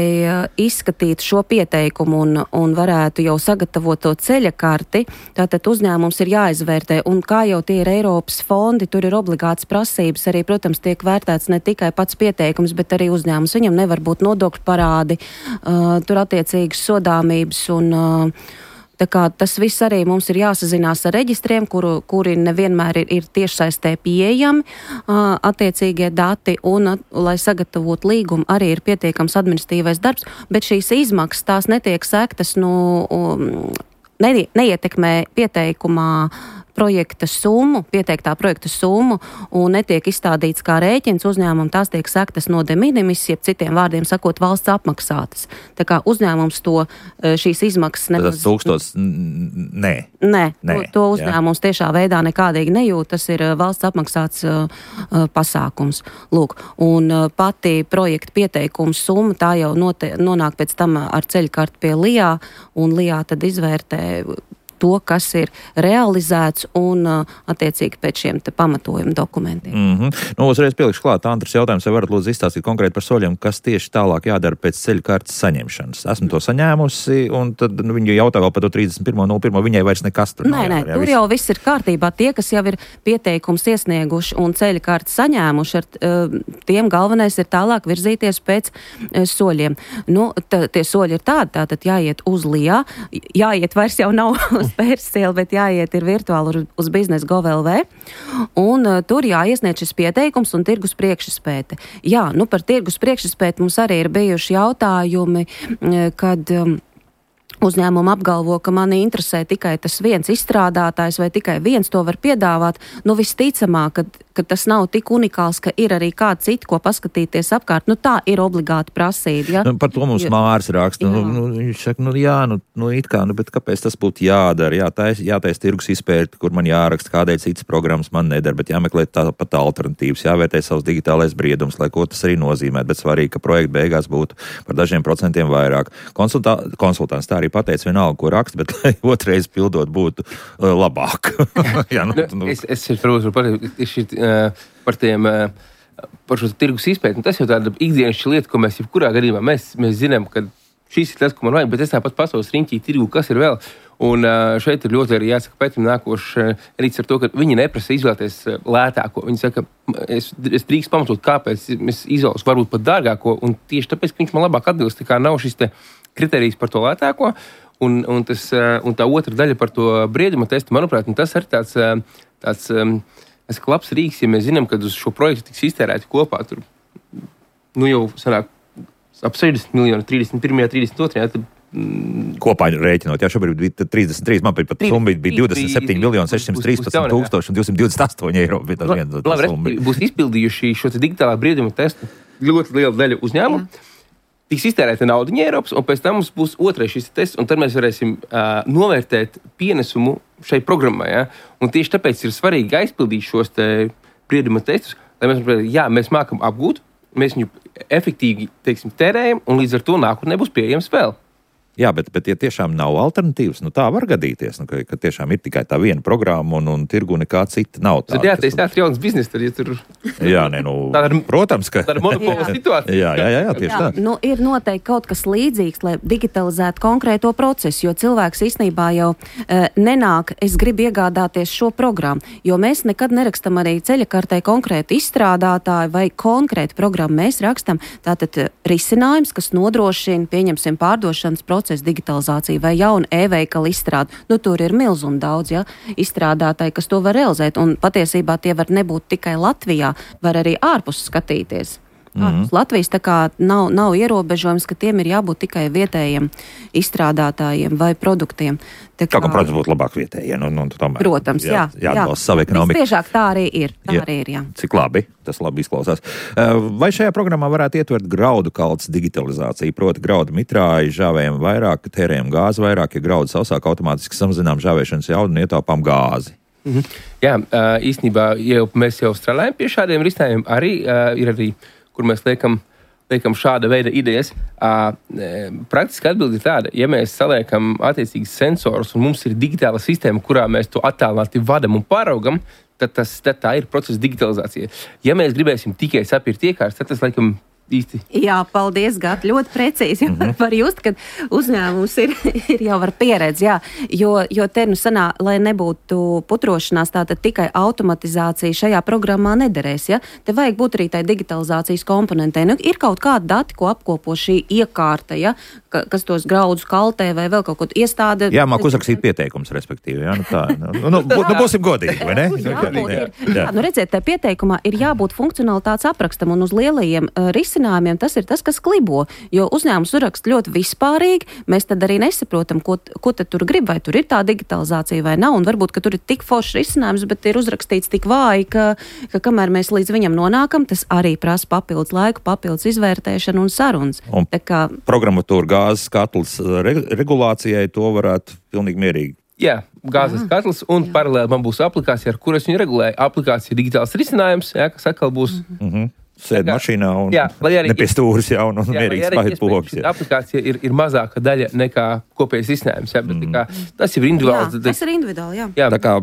izskatītu šo pieteikumu un varētu jau sagatavot to ceļa karti, tātad uzņēmums ir jāizvērtē, un kā jau tie ir Eiropas fondi, tur ir obligāts prasības, arī, protams, tiek vērtēts ne tikai pats pieteikums, bet arī uzņēmums. Viņam nevar būt nodokļu parādi, tur attiecīgas sodāmības un tā kā tas viss arī mums ir jāsazinās ar reģistriem, kuri nevienmēr ir tiešsaistē pieejami attiecīgie dati, un, lai sagatavotu līgumu, arī ir pietiekams administratīvais darbs, bet šīs izmaksas tās netiek sektas, neietekmē pieteikumā pieteiktā projekta summu un netiek izstādīts kā rēķins uzņēmumam, tās tiek sektas no de minimis, jeb citiem vārdiem sakot, valsts apmaksātas. Tā kā uzņēmums šīs izmaksas nemaz... Tas 1000, nē. To uzņēmums tiešā veidā nekādīgi nejūt, tas ir valsts apmaksāts pasākums. Lūk, un pati projekta pieteikums summa, tā jau nonāk pēc tam ar ceļkarti pie LIA, un LIA tad izvērtē to, kas ir realizēts un attiecīgi pēc šiem te pamatojuma dokumentiem. Uzreiz pielikšu klāt, Andris jautājums, vai varat lūdzu izstāstīt konkrēti par soļiem, kas tieši tālāk jādara pēc ceļu kartes saņemšanas. Esmu to saņēmusi, un tad viņi jautā vēl par to 31.01. Viņai vairs nekas tur nav. Nē, tur jau viss ir kārtībā. Tie, kas jau ir pieteikums iesnieguši un ceļu kartes saņēmuši, tiem galvenais ir tālāk virzīties pēc soļiem. Tie soļi ir tātad jāiet uz LIA, jāiet vairs jau nav Pērsiela, bet jāiet ir virtuāli uz biznes.gov.lv, un tur jāiesniedz šis pieteikums un tirgus priekšizpēte. Jā, par tirgus priekšizpēti mums arī ir bijuši jautājumi, kad uzņēmumi apgalvo, ka mani interesē tikai tas viens izstrādātājs vai tikai viens to var piedāvāt. Visticamāk, ka tas nav tik unikāls, ka ir arī kāds cits, ko paskatīties apkārt. Tā ir obligāti prasība. Ja? Par to mums Mārs raksta. Viņš saka, it kā, bet kāpēc tas būtu jādara? Jātais tirgus izpēti, kur man jāraksta, kādēļ citas programmas man nedara, bet jāmeklē tāpat alternatīvas, jāvērtē savs digitālais briedums, lai ko tas arī nozīmē, bet svarīgi, ka projekta beigās būtu par dažiem procentiem vairāk. Konsultants tā arī pateica vienalga, ko raksta, bet lai otrais pildot būtu labāk. Jā, Es varu pateikt par šo tirgus izpēti. Tas jau tāda ikdienišķa lieta, ko mēs jebkurā gadījumā mēs zinām, ka šis ir tas, ko man vajag, bet es tāpat pasaules riņķī tirgu, kas ir vēl. Un šeit ir ļoti arī jāsaka pēc nākošais rīts ar to, ka viņi neprasa izvēlēties lētāko. Viņi saka, es drīkst pamatot, kāpēc es izvēlos varbūt pat dārgāko, un tieši tāpēc, ka viņš man labāk atbilst, tā kā nav šis te kriterijs par to lētāko, un tā otra daļa par to brieduma testu, manuprāt, tas ir tāds labs rīks, ja mēs zinām, ka uz šo projektu tiks iztērēti kopā tur, jau sanāk ap 60 miljoni, 31. 32. Kopā rēķinot, šobrīd bija 33, man pat summa bija 27 miljoni 613 tūkstoši un 228 eiro. Labi, būs izpildījuši šo digitālā brieduma testu ļoti liela daļa uzņēmumu. Tiks iztērēta naudiņa Eiropas, un pēc tam mums būs otrais šis tests, un tad mēs varēsim novērtēt pienesumu šai programmai. Ja? Un tieši tāpēc ir svarīgi aizpildīt šos brieduma testus, lai mēs saprotam, mēs mākam apgūt, mēs viņu efektīvi, tērējam, un līdz ar to nākotnē būs pieejams vēl. Jā, bet ja tiešām nav alternatīvas, tā var gadīties, ka tiešām ir tikai tā viena programma un tirgu nekā cita nav tā. Tad tā ir jauns biznes, tad, ja tur... Jā, protams, ka... Tā ir monopola situācija. Jā, tieši tā. Ir noteikti kaut kas līdzīgs, lai digitalizētu konkrēto procesu, jo cilvēks īstenībā jau nenāk, es gribu iegādāties šo programmu, jo mēs nekad nerakstam arī ceļakartē konkrētu izstrādātāju vai konkrētu programmu. Mēs rakstam tātad risinājums, kas nodrošina, pieņemsim, pārdošanas procesu, digitalizācija vai jauna e-veikala izstrāde. Tur ir milz un daudz izstrādātāji, kas to var realizēt. Un patiesībā tie var nebūt tikai Latvijā, var arī ārpus skatīties. Latvijas tā kā nav ierobežojums, ka tiem ir jābūt tikai vietējiem izstrādātājiem vai produktiem. Protams, būtu labāk vietējiem. Protams, jā. Jāatbalsta savu ekonomiku. Visbiežāk tā arī ir. Jā. Cik labi, tas labi izklausās. Vai šajā programmā varētu ietvert graudu kaltes digitalizāciju, proti graudu mitrāji, žāvējam vairāk, tērējam gāzi vairāk, ja graudu sausāk automātiski samazinām žāvēšanas jaudu un ietaupām gāzi? Jā, īstenībā mēs jau strādājam pie šādiem risinājumiem. Arī ir arī, kur mēs liekam šāda veida idejas. Praktiski atbildi ir tāda, ja mēs saliekam attiecīgas sensorus un mums ir digitāla sistēma, kurā mēs to attālināti vadam un pāraugam, tad tā ir procesa digitalizācija. Ja mēs gribēsim tikai sapirkt iekārtas, tad tas laikam īsti. Jā, paldies, Gat, ļoti precīzi. Var just, ka uzņēmums ir jau ar pieredzi, jo te sanā, lai nebūtu putrošanās, tātad tikai automatizācija šajā programmā nederēs, Te vajag būt arī tai digitalizācijas komponentei. Ir kaut kādi dati, ko apkopo šī iekārta, kas tos graudus kaltē vai vēl kaut ko iestāde. Jā, māk uzrakstīt pieteikums, respektīvi, būsim godīgi, vai ne? Redziet, tā pieteikumā ir jābūt funkcionalitātes aprakstam un uz lielajiem risinājumiem tas ir tas, kas klibo, jo uzņēmums uzrakst ļoti vispārīgi, mēs tad arī nesaprotam, ko tad tur grib, vai tur ir tā digitalizācija vai nav, un varbūt, ka tur ir tik foršs risinājums, bet ir uzrakstīts tik vāji, ka kamēr mēs līdz viņam nonākam, tas arī prasa papildus laiku, papildus izvērtēšanu un sarunas. Un programmatūra gāzes katls regulācijai to varētu pilnīgi mierīgi. Jā, gāzes katls, un paralēli man būs aplikācija, ar kuras viņu regulēja. Aplikācija digitāls risinājums, kas atkal būs... Sēd mašīnā un nepie stūras un mierīgi spaiet pogas. Aplikācija ir mazāka daļa nekā kopējais risinājums. Tas jau ir individuāli. Tas ir individuāli, jā. Tā kā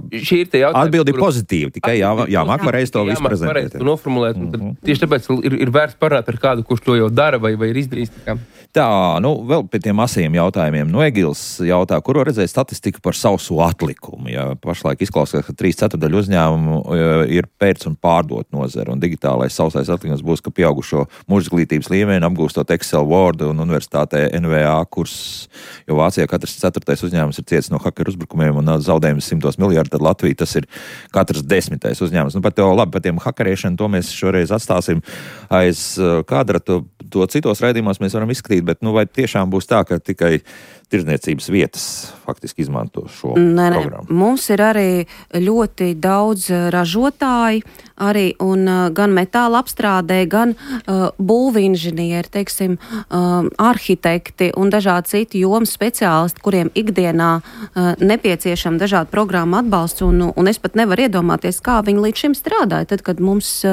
atbildi ir pozitīva, tikai jāmāk varēs to visu prezentēt. Noformulēt. Tieši tāpēc ir vērts parunāt ar kādu, kurš to jau dara vai ir izdarījis. Tā, vēl pie tiem asajiem jautājumiem. Egils jautā, kur var redzēt statistiku par sauso atlikumu. Pašlaik izklausās, ka 3/4 uzņēmumu ir pēc un pārdot nozara, un digitālais sausais atlikums būs, ka pieaugušo mūžizglītības līmeni apgūstot Excel, Word un universitātē NVA kurs, jo Vācijā katrs 4. uzņēmums ir cietis no hakeru uzbrukumiem un zaudējums 100 miljardi, tad Latvija tas ir katrs 10. uzņēmums. Par tiem hakerēšanu to mēs šoreiz atstāsim aiz kadra, to citos raidījumos mēs varam izskatīt, bet vai tiešām būs tā, ka tikai tirdzniecības vietas faktiski izmanto šo programmu. Mums ir arī ļoti daudz ražotāji, arī un gan metāla apstrādē, gan būvinženieri, teiksim, arhitekti un dažādi citi jomas speciālisti, kuriem ikdienā nepieciešama dažādu programmu atbalsts, un es pat nevaru iedomāties, kā viņi līdz šim strādāja. Tad, kad mums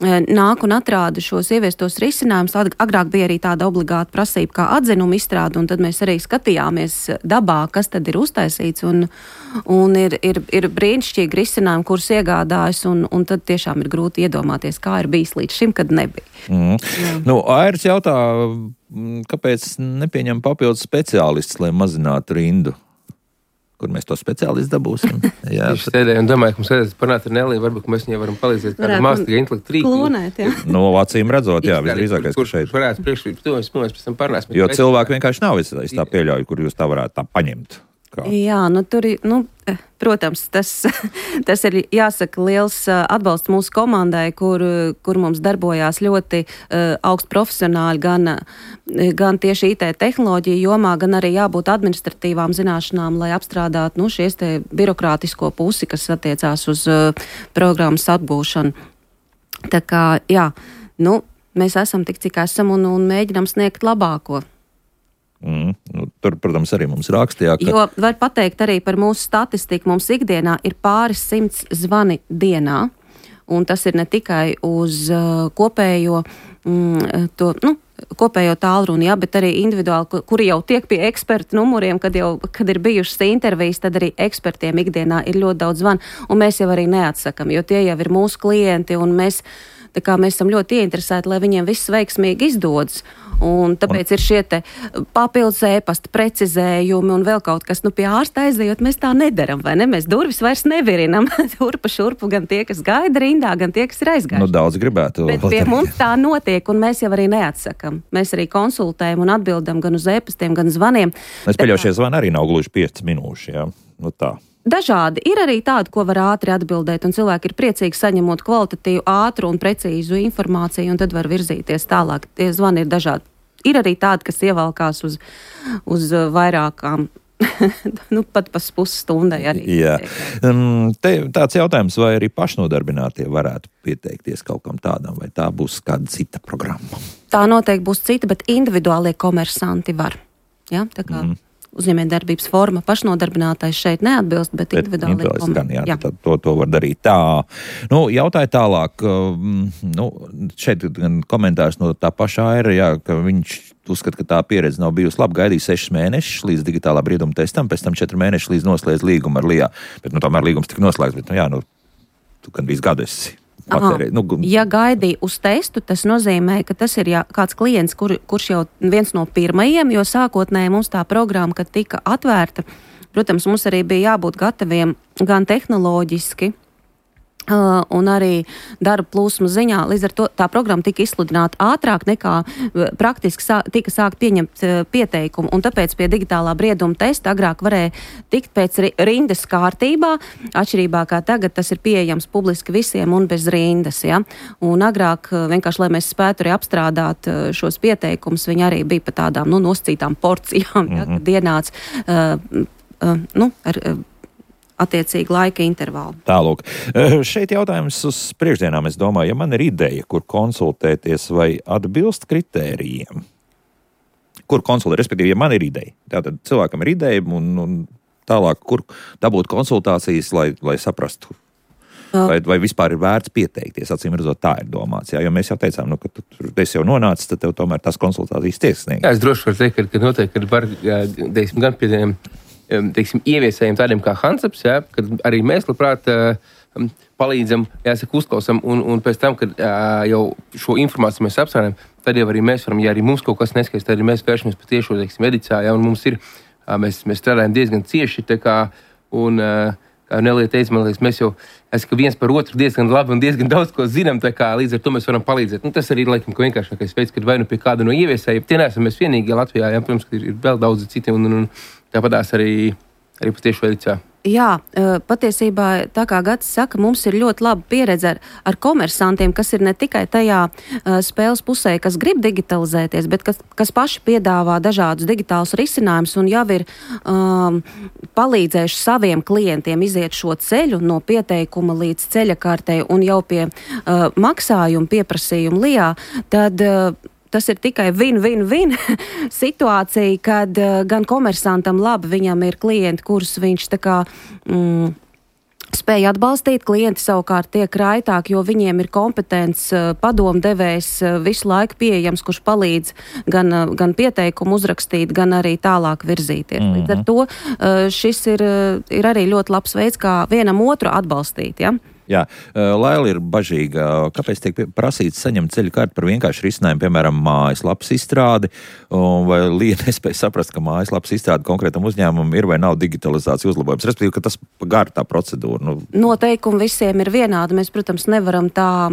nāk un atrāda šos ieviestos risinājumus, agrāk bija arī tāda obligāta prasība kā atzinuma izstrāde, un tad mēs arī skatījāmies dabā, kas tad ir uztaisīts, un ir brīnišķīgi risinājumi, kurus iegādājas, un tad tiešām ir grūti iedomāties, kā ir bijis līdz šim, kad nebija. Airis jautā, kāpēc nepieņem papildus speciālistus, lai mazinātu rindu? Kur mēs to speciālistu dabūsim? Jā, es sēdēju un domāju, ka mums vajadzētu parunāt ar Neliju, varbūt mēs viņai varam palīdzēt kādu mākslīgu intelektu rīku. Klonēt, jā. Acīm redzot, jā, visdrīzākais, ka šeit. Kurš varētu priekšrīt, to mēs pēc tam parunāsim. Jo cilvēki vienkārši nav, es tā pieļauju, kur jūs tā varētu tā paņemt. Kā? Jā, tur ir, protams, tas ir jāsaka liels atbalsts mūsu komandai, kur mums darbojās ļoti augsti profesionāļi, gan tieši IT tehnoloģiju jomā, gan arī jābūt administratīvām zināšanām, lai apstrādātu šies te birokrātisko pusi, kas attiecās uz programmas atgūšanu. Tā kā, jā, mēs esam tik, cik esam un mēģinām sniegt labāko. Tur, protams, arī mums rakstīja, ka... Jo var pateikt arī par mūsu statistiku. Mums ikdienā ir pāris 100 zvani dienā, un tas ir ne tikai uz kopējo tālruni, jā, bet arī individuāli, kuri jau tiek pie ekspertu numuriem, kad ir bijušas intervijas, tad arī ekspertiem ikdienā ir ļoti daudz zvanu, un mēs jau arī neatsakam, jo tie jau ir mūsu klienti, un mēs esam ļoti ieinteresēti, lai viņiem viss veiksmīgi izdodas. Un tāpēc ir šie te papildus ēpasta precizējumi un vēl kaut kas, pie ārsta aizejot, mēs tā nedaram, vai ne? Mēs durvis vairs nevirinam turpa šurpu, gan tie, kas gaida rindā, gan tie, kas ir aizgājuši. Daudz gribētu. Bet pie mums tā notiek, un mēs jau arī neatsakam. Mēs arī konsultējam un atbildam gan uz ēpastiem, gan zvaniem. Es pieļauju, šie zvani arī nav gluži 5 minūši, jā. Tā. Dažādi. Ir arī tādi, ko var ātri atbildēt, un cilvēki ir priecīgi saņemot kvalitatīvu, ātru un precīzu informāciju, un tad var virzīties tālāk. Tie zvani ir dažādi. Ir arī tādi, kas ievalkās uz vairākām, pat pa pusstundai arī. Jā. Te tāds jautājums, vai arī pašnodarbinātie varētu pieteikties kaut kam tādam, vai tā būs kāda cita programma? Tā noteikti būs cita, bet individuālie komersanti var. Ja? Tā kā uzņēmējdarbības forma pašnodarbinātais šeit neatbilst, bet individuāli komersanti. Jā. To var darīt tā. Jautāju tālāk. Šeit gan komentārs no tā paša Aira, jā, ka viņš uzskata, ka tā pieredze nav bijusi laba. Gaidīja 6 mēnešus līdz digitālā brieduma testam, pēc tam 4 mēnešus līdz noslēdz līgumu ar LIA. Bet tomēr līgums tika noslēgts, bet tu gan visu gadu esi. Ja gaidīja uz testu, tas nozīmē, ka tas ir kāds klients, kurš jau viens no pirmajiem, jo sākotnēji mums tā programma, kad tika atvērta, protams, mums arī bija jābūt gataviem gan tehnoloģiski, un arī darba plūsmu ziņā. Līdz ar to tā programma tika izsludināta ātrāk nekā praktiski tika sākt pieņemt pieteikumu, un tāpēc pie digitālā brieduma testa agrāk varēja tikt pēc rindas kārtībā, atšķirībā kā tagad tas ir pieejams publiski visiem un bez rindas, ja? Un agrāk vienkārši, lai mēs spētu arī apstrādāt šos pieteikumus, viņi arī bija pa tādām, nosacītām porcijām, ja? Kad ienāca ar attiecīgi laika intervālu. Tālūk. Šeit jautājums uz priekšdienām, es domāju, ja man ir ideja, kur konsultēties vai atbilst kritērijiem. Kur konsultēt, respektīvi, ja man ir ideja. Tātad cilvēkam ir ideja un tālāk, kur dabūt konsultācijas, lai saprastu. Vai vispār ir vērts pieteikties, acīm redzot, tā ir domāts. Jā, jo mēs jau teicām, ka tu esi jau nonācis, tad tev tomēr tās konsultācijas tiek sniegtas. Jā, es droši varu teikt, ka noteikti var, gan pie tiem ieviesējiem tādiem kā Hansaps, ja, kad arī mēs labprāt palīdzam, uzklausam, un pēc tam, kad jau šo informāciju mēs apstrādājam, tad jau arī mēs varam, ja arī mums kaut kas neskaidrs, tad arī mēs vēršamies pa tiešo, edicā, ja, un mums ir, mēs strādājam diezgan cieši, tā kā, un kā Nelija teica, man liekas, mēs jau viens par otru diezgan labi un diezgan daudz ko zinām, tā kā līdz ar to mēs varam palīdzēt. Tas arī, laikam, ka vienkāršākais veids, kad vai pie kāda no ieviesējiem, tie neesam mēs vienīgi Latvijā, ja, protams, ka ir vēl daudzi citi, un tāpatās arī pa tiešo edicā. Jā, patiesībā, tā kā Gatis saka, mums ir ļoti laba pieredze ar komersantiem, kas ir ne tikai tajā spēles pusē, kas grib digitalizēties, bet kas paši piedāvā dažādus digitālus risinājumus un jau ir palīdzējuši saviem klientiem iziet šo ceļu no pieteikuma līdz ceļakārtei un jau pie maksājuma pieprasījuma lijā, tad tas ir tikai win-win-win situācija, kad gan komersantam labi, viņam ir klienti, kurus viņš tā kā spēja atbalstīt, klienti savukārt tiek raitāki, jo viņiem ir kompetents padomdevējs visu laiku pieejams, kurš palīdz gan pieteikumu uzrakstīt, gan arī tālāk virzīties. Līdz ar to šis ir arī ļoti labs veids, kā vienam otru atbalstīt, ja? Jā, Laila ir bažīga. Kāpēc tiek prasīts saņemt ceļu karti par vienkāršu risinājumu, piemēram, mājaslapas izstrādi, vai Lija nespēja saprast, ka mājaslapas izstrādi konkrētam uzņēmumam ir vai nav digitalizācija uzlabojums, respektīvi, ka tas gar tā procedūra? Noteikumi visiem ir vienādi. Mēs, protams, nevaram tā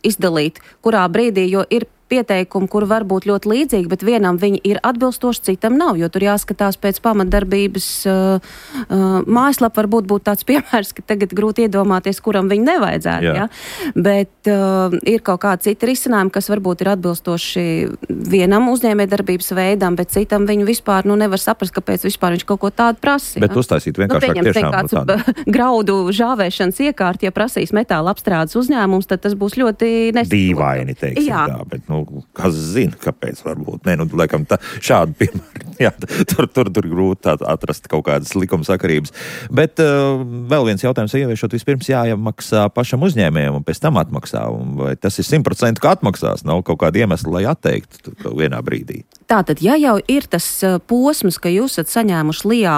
izdalīt, kurā brīdī, jo ir pieteikumi, kur var būt ļoti līdzīgi, bet vienam viņi ir atbilstoši, citam nav, jo tur jāskatās pēc pamatdarbības mājaslapa varbūt būtu tāds piemērs, ka tagad grūti iedomāties, kuram viņi nevajadzētu, ja? Bet ir kaut kādi citi risinājumi, kas varbūt ir atbilstoši vienam uzņēmējdarbības veidam, bet citam viņu vispār nevar saprast, kāpēc vispār viņš kaut ko tādu prasa. Bet uztaisīt vienkāršāk tiešām. Kāds graudu žāvēšanas iekārt, ja prasīs metāla apstrādes uzņēmums, tad tas būs ļoti dīvaini, teiksim tā, bet kas zina, kāpēc varbūt. Laikam šādu piemēru. Jā, tur grūti atrast kaut kādas likumsakarības. Bet vēl viens jautājums, ieviešot vispirms jāmaksā pašam uzņēmējam un pēc tam atmaksā. Vai tas ir 100% ka atmaksās? Nav kaut kāda iemesla, lai atteiktu vienā brīdī. Tātad, ja jau ir tas posms, ka jūs esat saņēmuši Lijā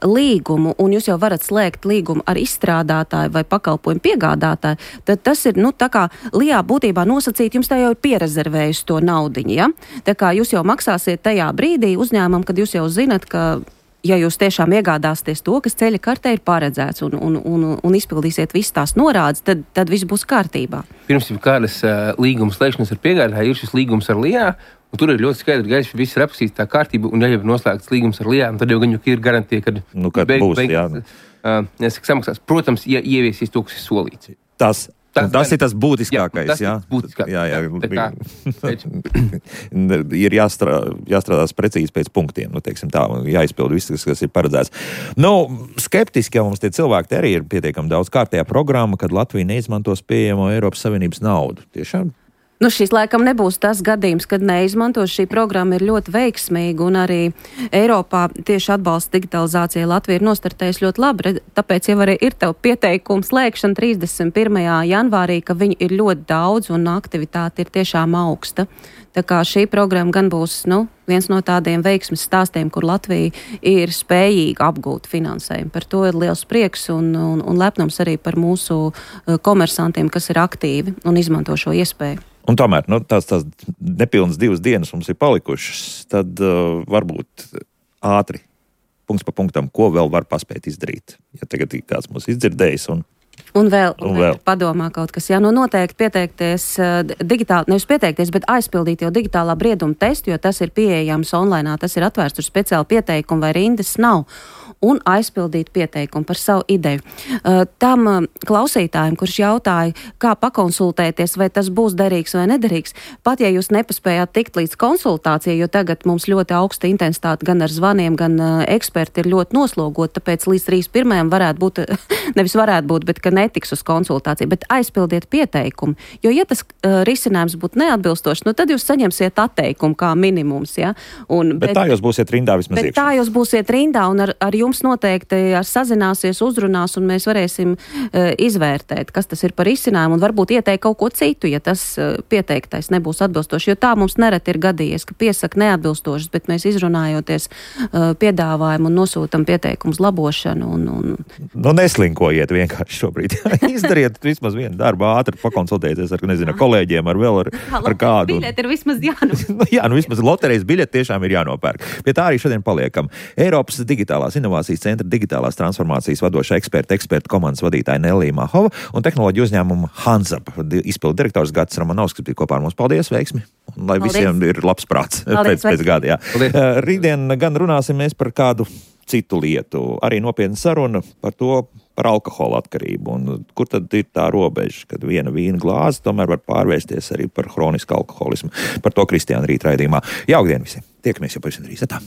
līgumu un jūs jau varat slēgt līgumu ar izstrādātāju vai pakalpojumu piegādātāju, tad tas ir, tā kā Lijā būtībā nosacīt, jums tā jau ir pierezervējusi to naudiņu, ja? Tā kā jūs jau maksāsiet tajā brīdī uzņēmumam, kad jūs jau zinat, ka ja jūs tiešām iegādāsieties to, kas ceļa kartē ir paredzēts un izpildīsiet visas tās norādes, tad viss būs kārtībā. Pirms jau kādas līguma slēgšanas ar piegādātāju ir šis līgums ar Lijā, un tur ir ļoti skaidri gaiši, viss ir aprakstīts tā kārtība, un ja jau ir noslēgts līgums ar Lijā, tad jau gan ir garantija, kad samaksās. Protams, ja ieviesīs to, kas ir solīts. Tas ir tas būtiskākais, jā? Ir jāstrādās precīzi pēc punktiem, teiksim tā, jāizpild viss, kas ir paredzēts. Skeptiski jau mums tie cilvēki arī ir pietiekami daudz kārtējā programma, kad Latvija neizmantos pieejamo Eiropas Savienības naudu. Tiešām? Šis laikam nebūs tas gadījums, kad neizmantos. Šī programma ir ļoti veiksmīga un arī Eiropā tieši atbalsta digitalizācijai Latvija ir nostartējusi ļoti labi. Tāpēc jau arī ir tev pieteikums slēgšana 31. janvārī, ka viņi ir ļoti daudz un aktivitāte ir tiešām augsta. Tā kā šī programma gan būs viens no tādiem veiksmes stāstiem, kur Latvija ir spējīga apgūt finansējumu. Par to ir liels prieks un lepnums arī par mūsu komersantiem, kas ir aktīvi un izmanto šo iespēju. Un tomēr, tās nepilnas 2 dienas mums ir palikušas, tad varbūt ātri, punkts pa punktam, ko vēl var paspēt izdarīt, ja tagad kāds mūs izdzirdējis Un vēl padomā kaut kas. Jā, noteikti pieteikties digitāli, nevis pieteikties, bet aizpildīt jau digitālā brieduma testu, jo tas ir pieejams online, tas ir atvērts, tur speciāli pieteikumu vai rindas nav. Un aizpildīt pieteikumu par savu ideju. Tam klausītājiem, kurš jautāja, kā pakonsultēties, vai tas būs derīgs vai nederīgs, pat ja jūs nepaspējāt tikt līdz konsultācijai, jo tagad mums ļoti augsta intensitāte gan ar zvaniem, gan eksperti ir ļoti noslogot, tāpēc līdz 31. varētu būt, nevis varētu būt, bet ka netiks uz konsultāciju, bet aizpildiet pieteikumu, jo ja tas risinājums būtu neatbilstošs, tad jūs saņemsiet atteikumu kā minimums, ja? Bet tā jūs būsiet rindā vismaz iekšā. Tā jūs būsiet rindā un ar jums noteikti sazināsies, uzrunās, un mēs varēsim izvērtēt, kas tas ir par izcinājumu, un varbūt ieteikt kaut ko citu, ja tas pieteiktais nebūs atbilstoši, jo tā mums nereti ir gadījies, ka piesaka neatbilstošas, bet mēs izrunājoties piedāvājumu un nosūtam pieteikumus labošanu. Neslinkojiet vienkārši šobrīd. Izdariet vismaz vienu darbu, ātri pakonsultēties ar kolēģiem, ar kādu. Biļeti ir vismaz jānopērk. Vismaz loterijas biļeti tiešām ir jānopērk. Pie tā arī šodien paliekam. Eiropas digitālās inovācijas centra digitālās transformācijas vadošā eksperta komandas vadītāja Nellija Mahova un tehnoloģiju uzņēmuma Hanzap izpildu direktors Gatis Romanovskis bija kopā ar mums. Paldies, veiksmi! Un lai visiem ir labs prāts pēc gada. Rītdien gan runāsim mēs par kādu citu lietu. Arī nopietna saruna par alkohola atkarību. Un kur tad ir tā robeža, kad viena vīna glāze tomēr var pārvērsties arī par hronisku alkoholismu? Par to Kristiāna rīt raidījumā. Jaukdien visiem! Tiekamies jau pavisam drīz. Tā.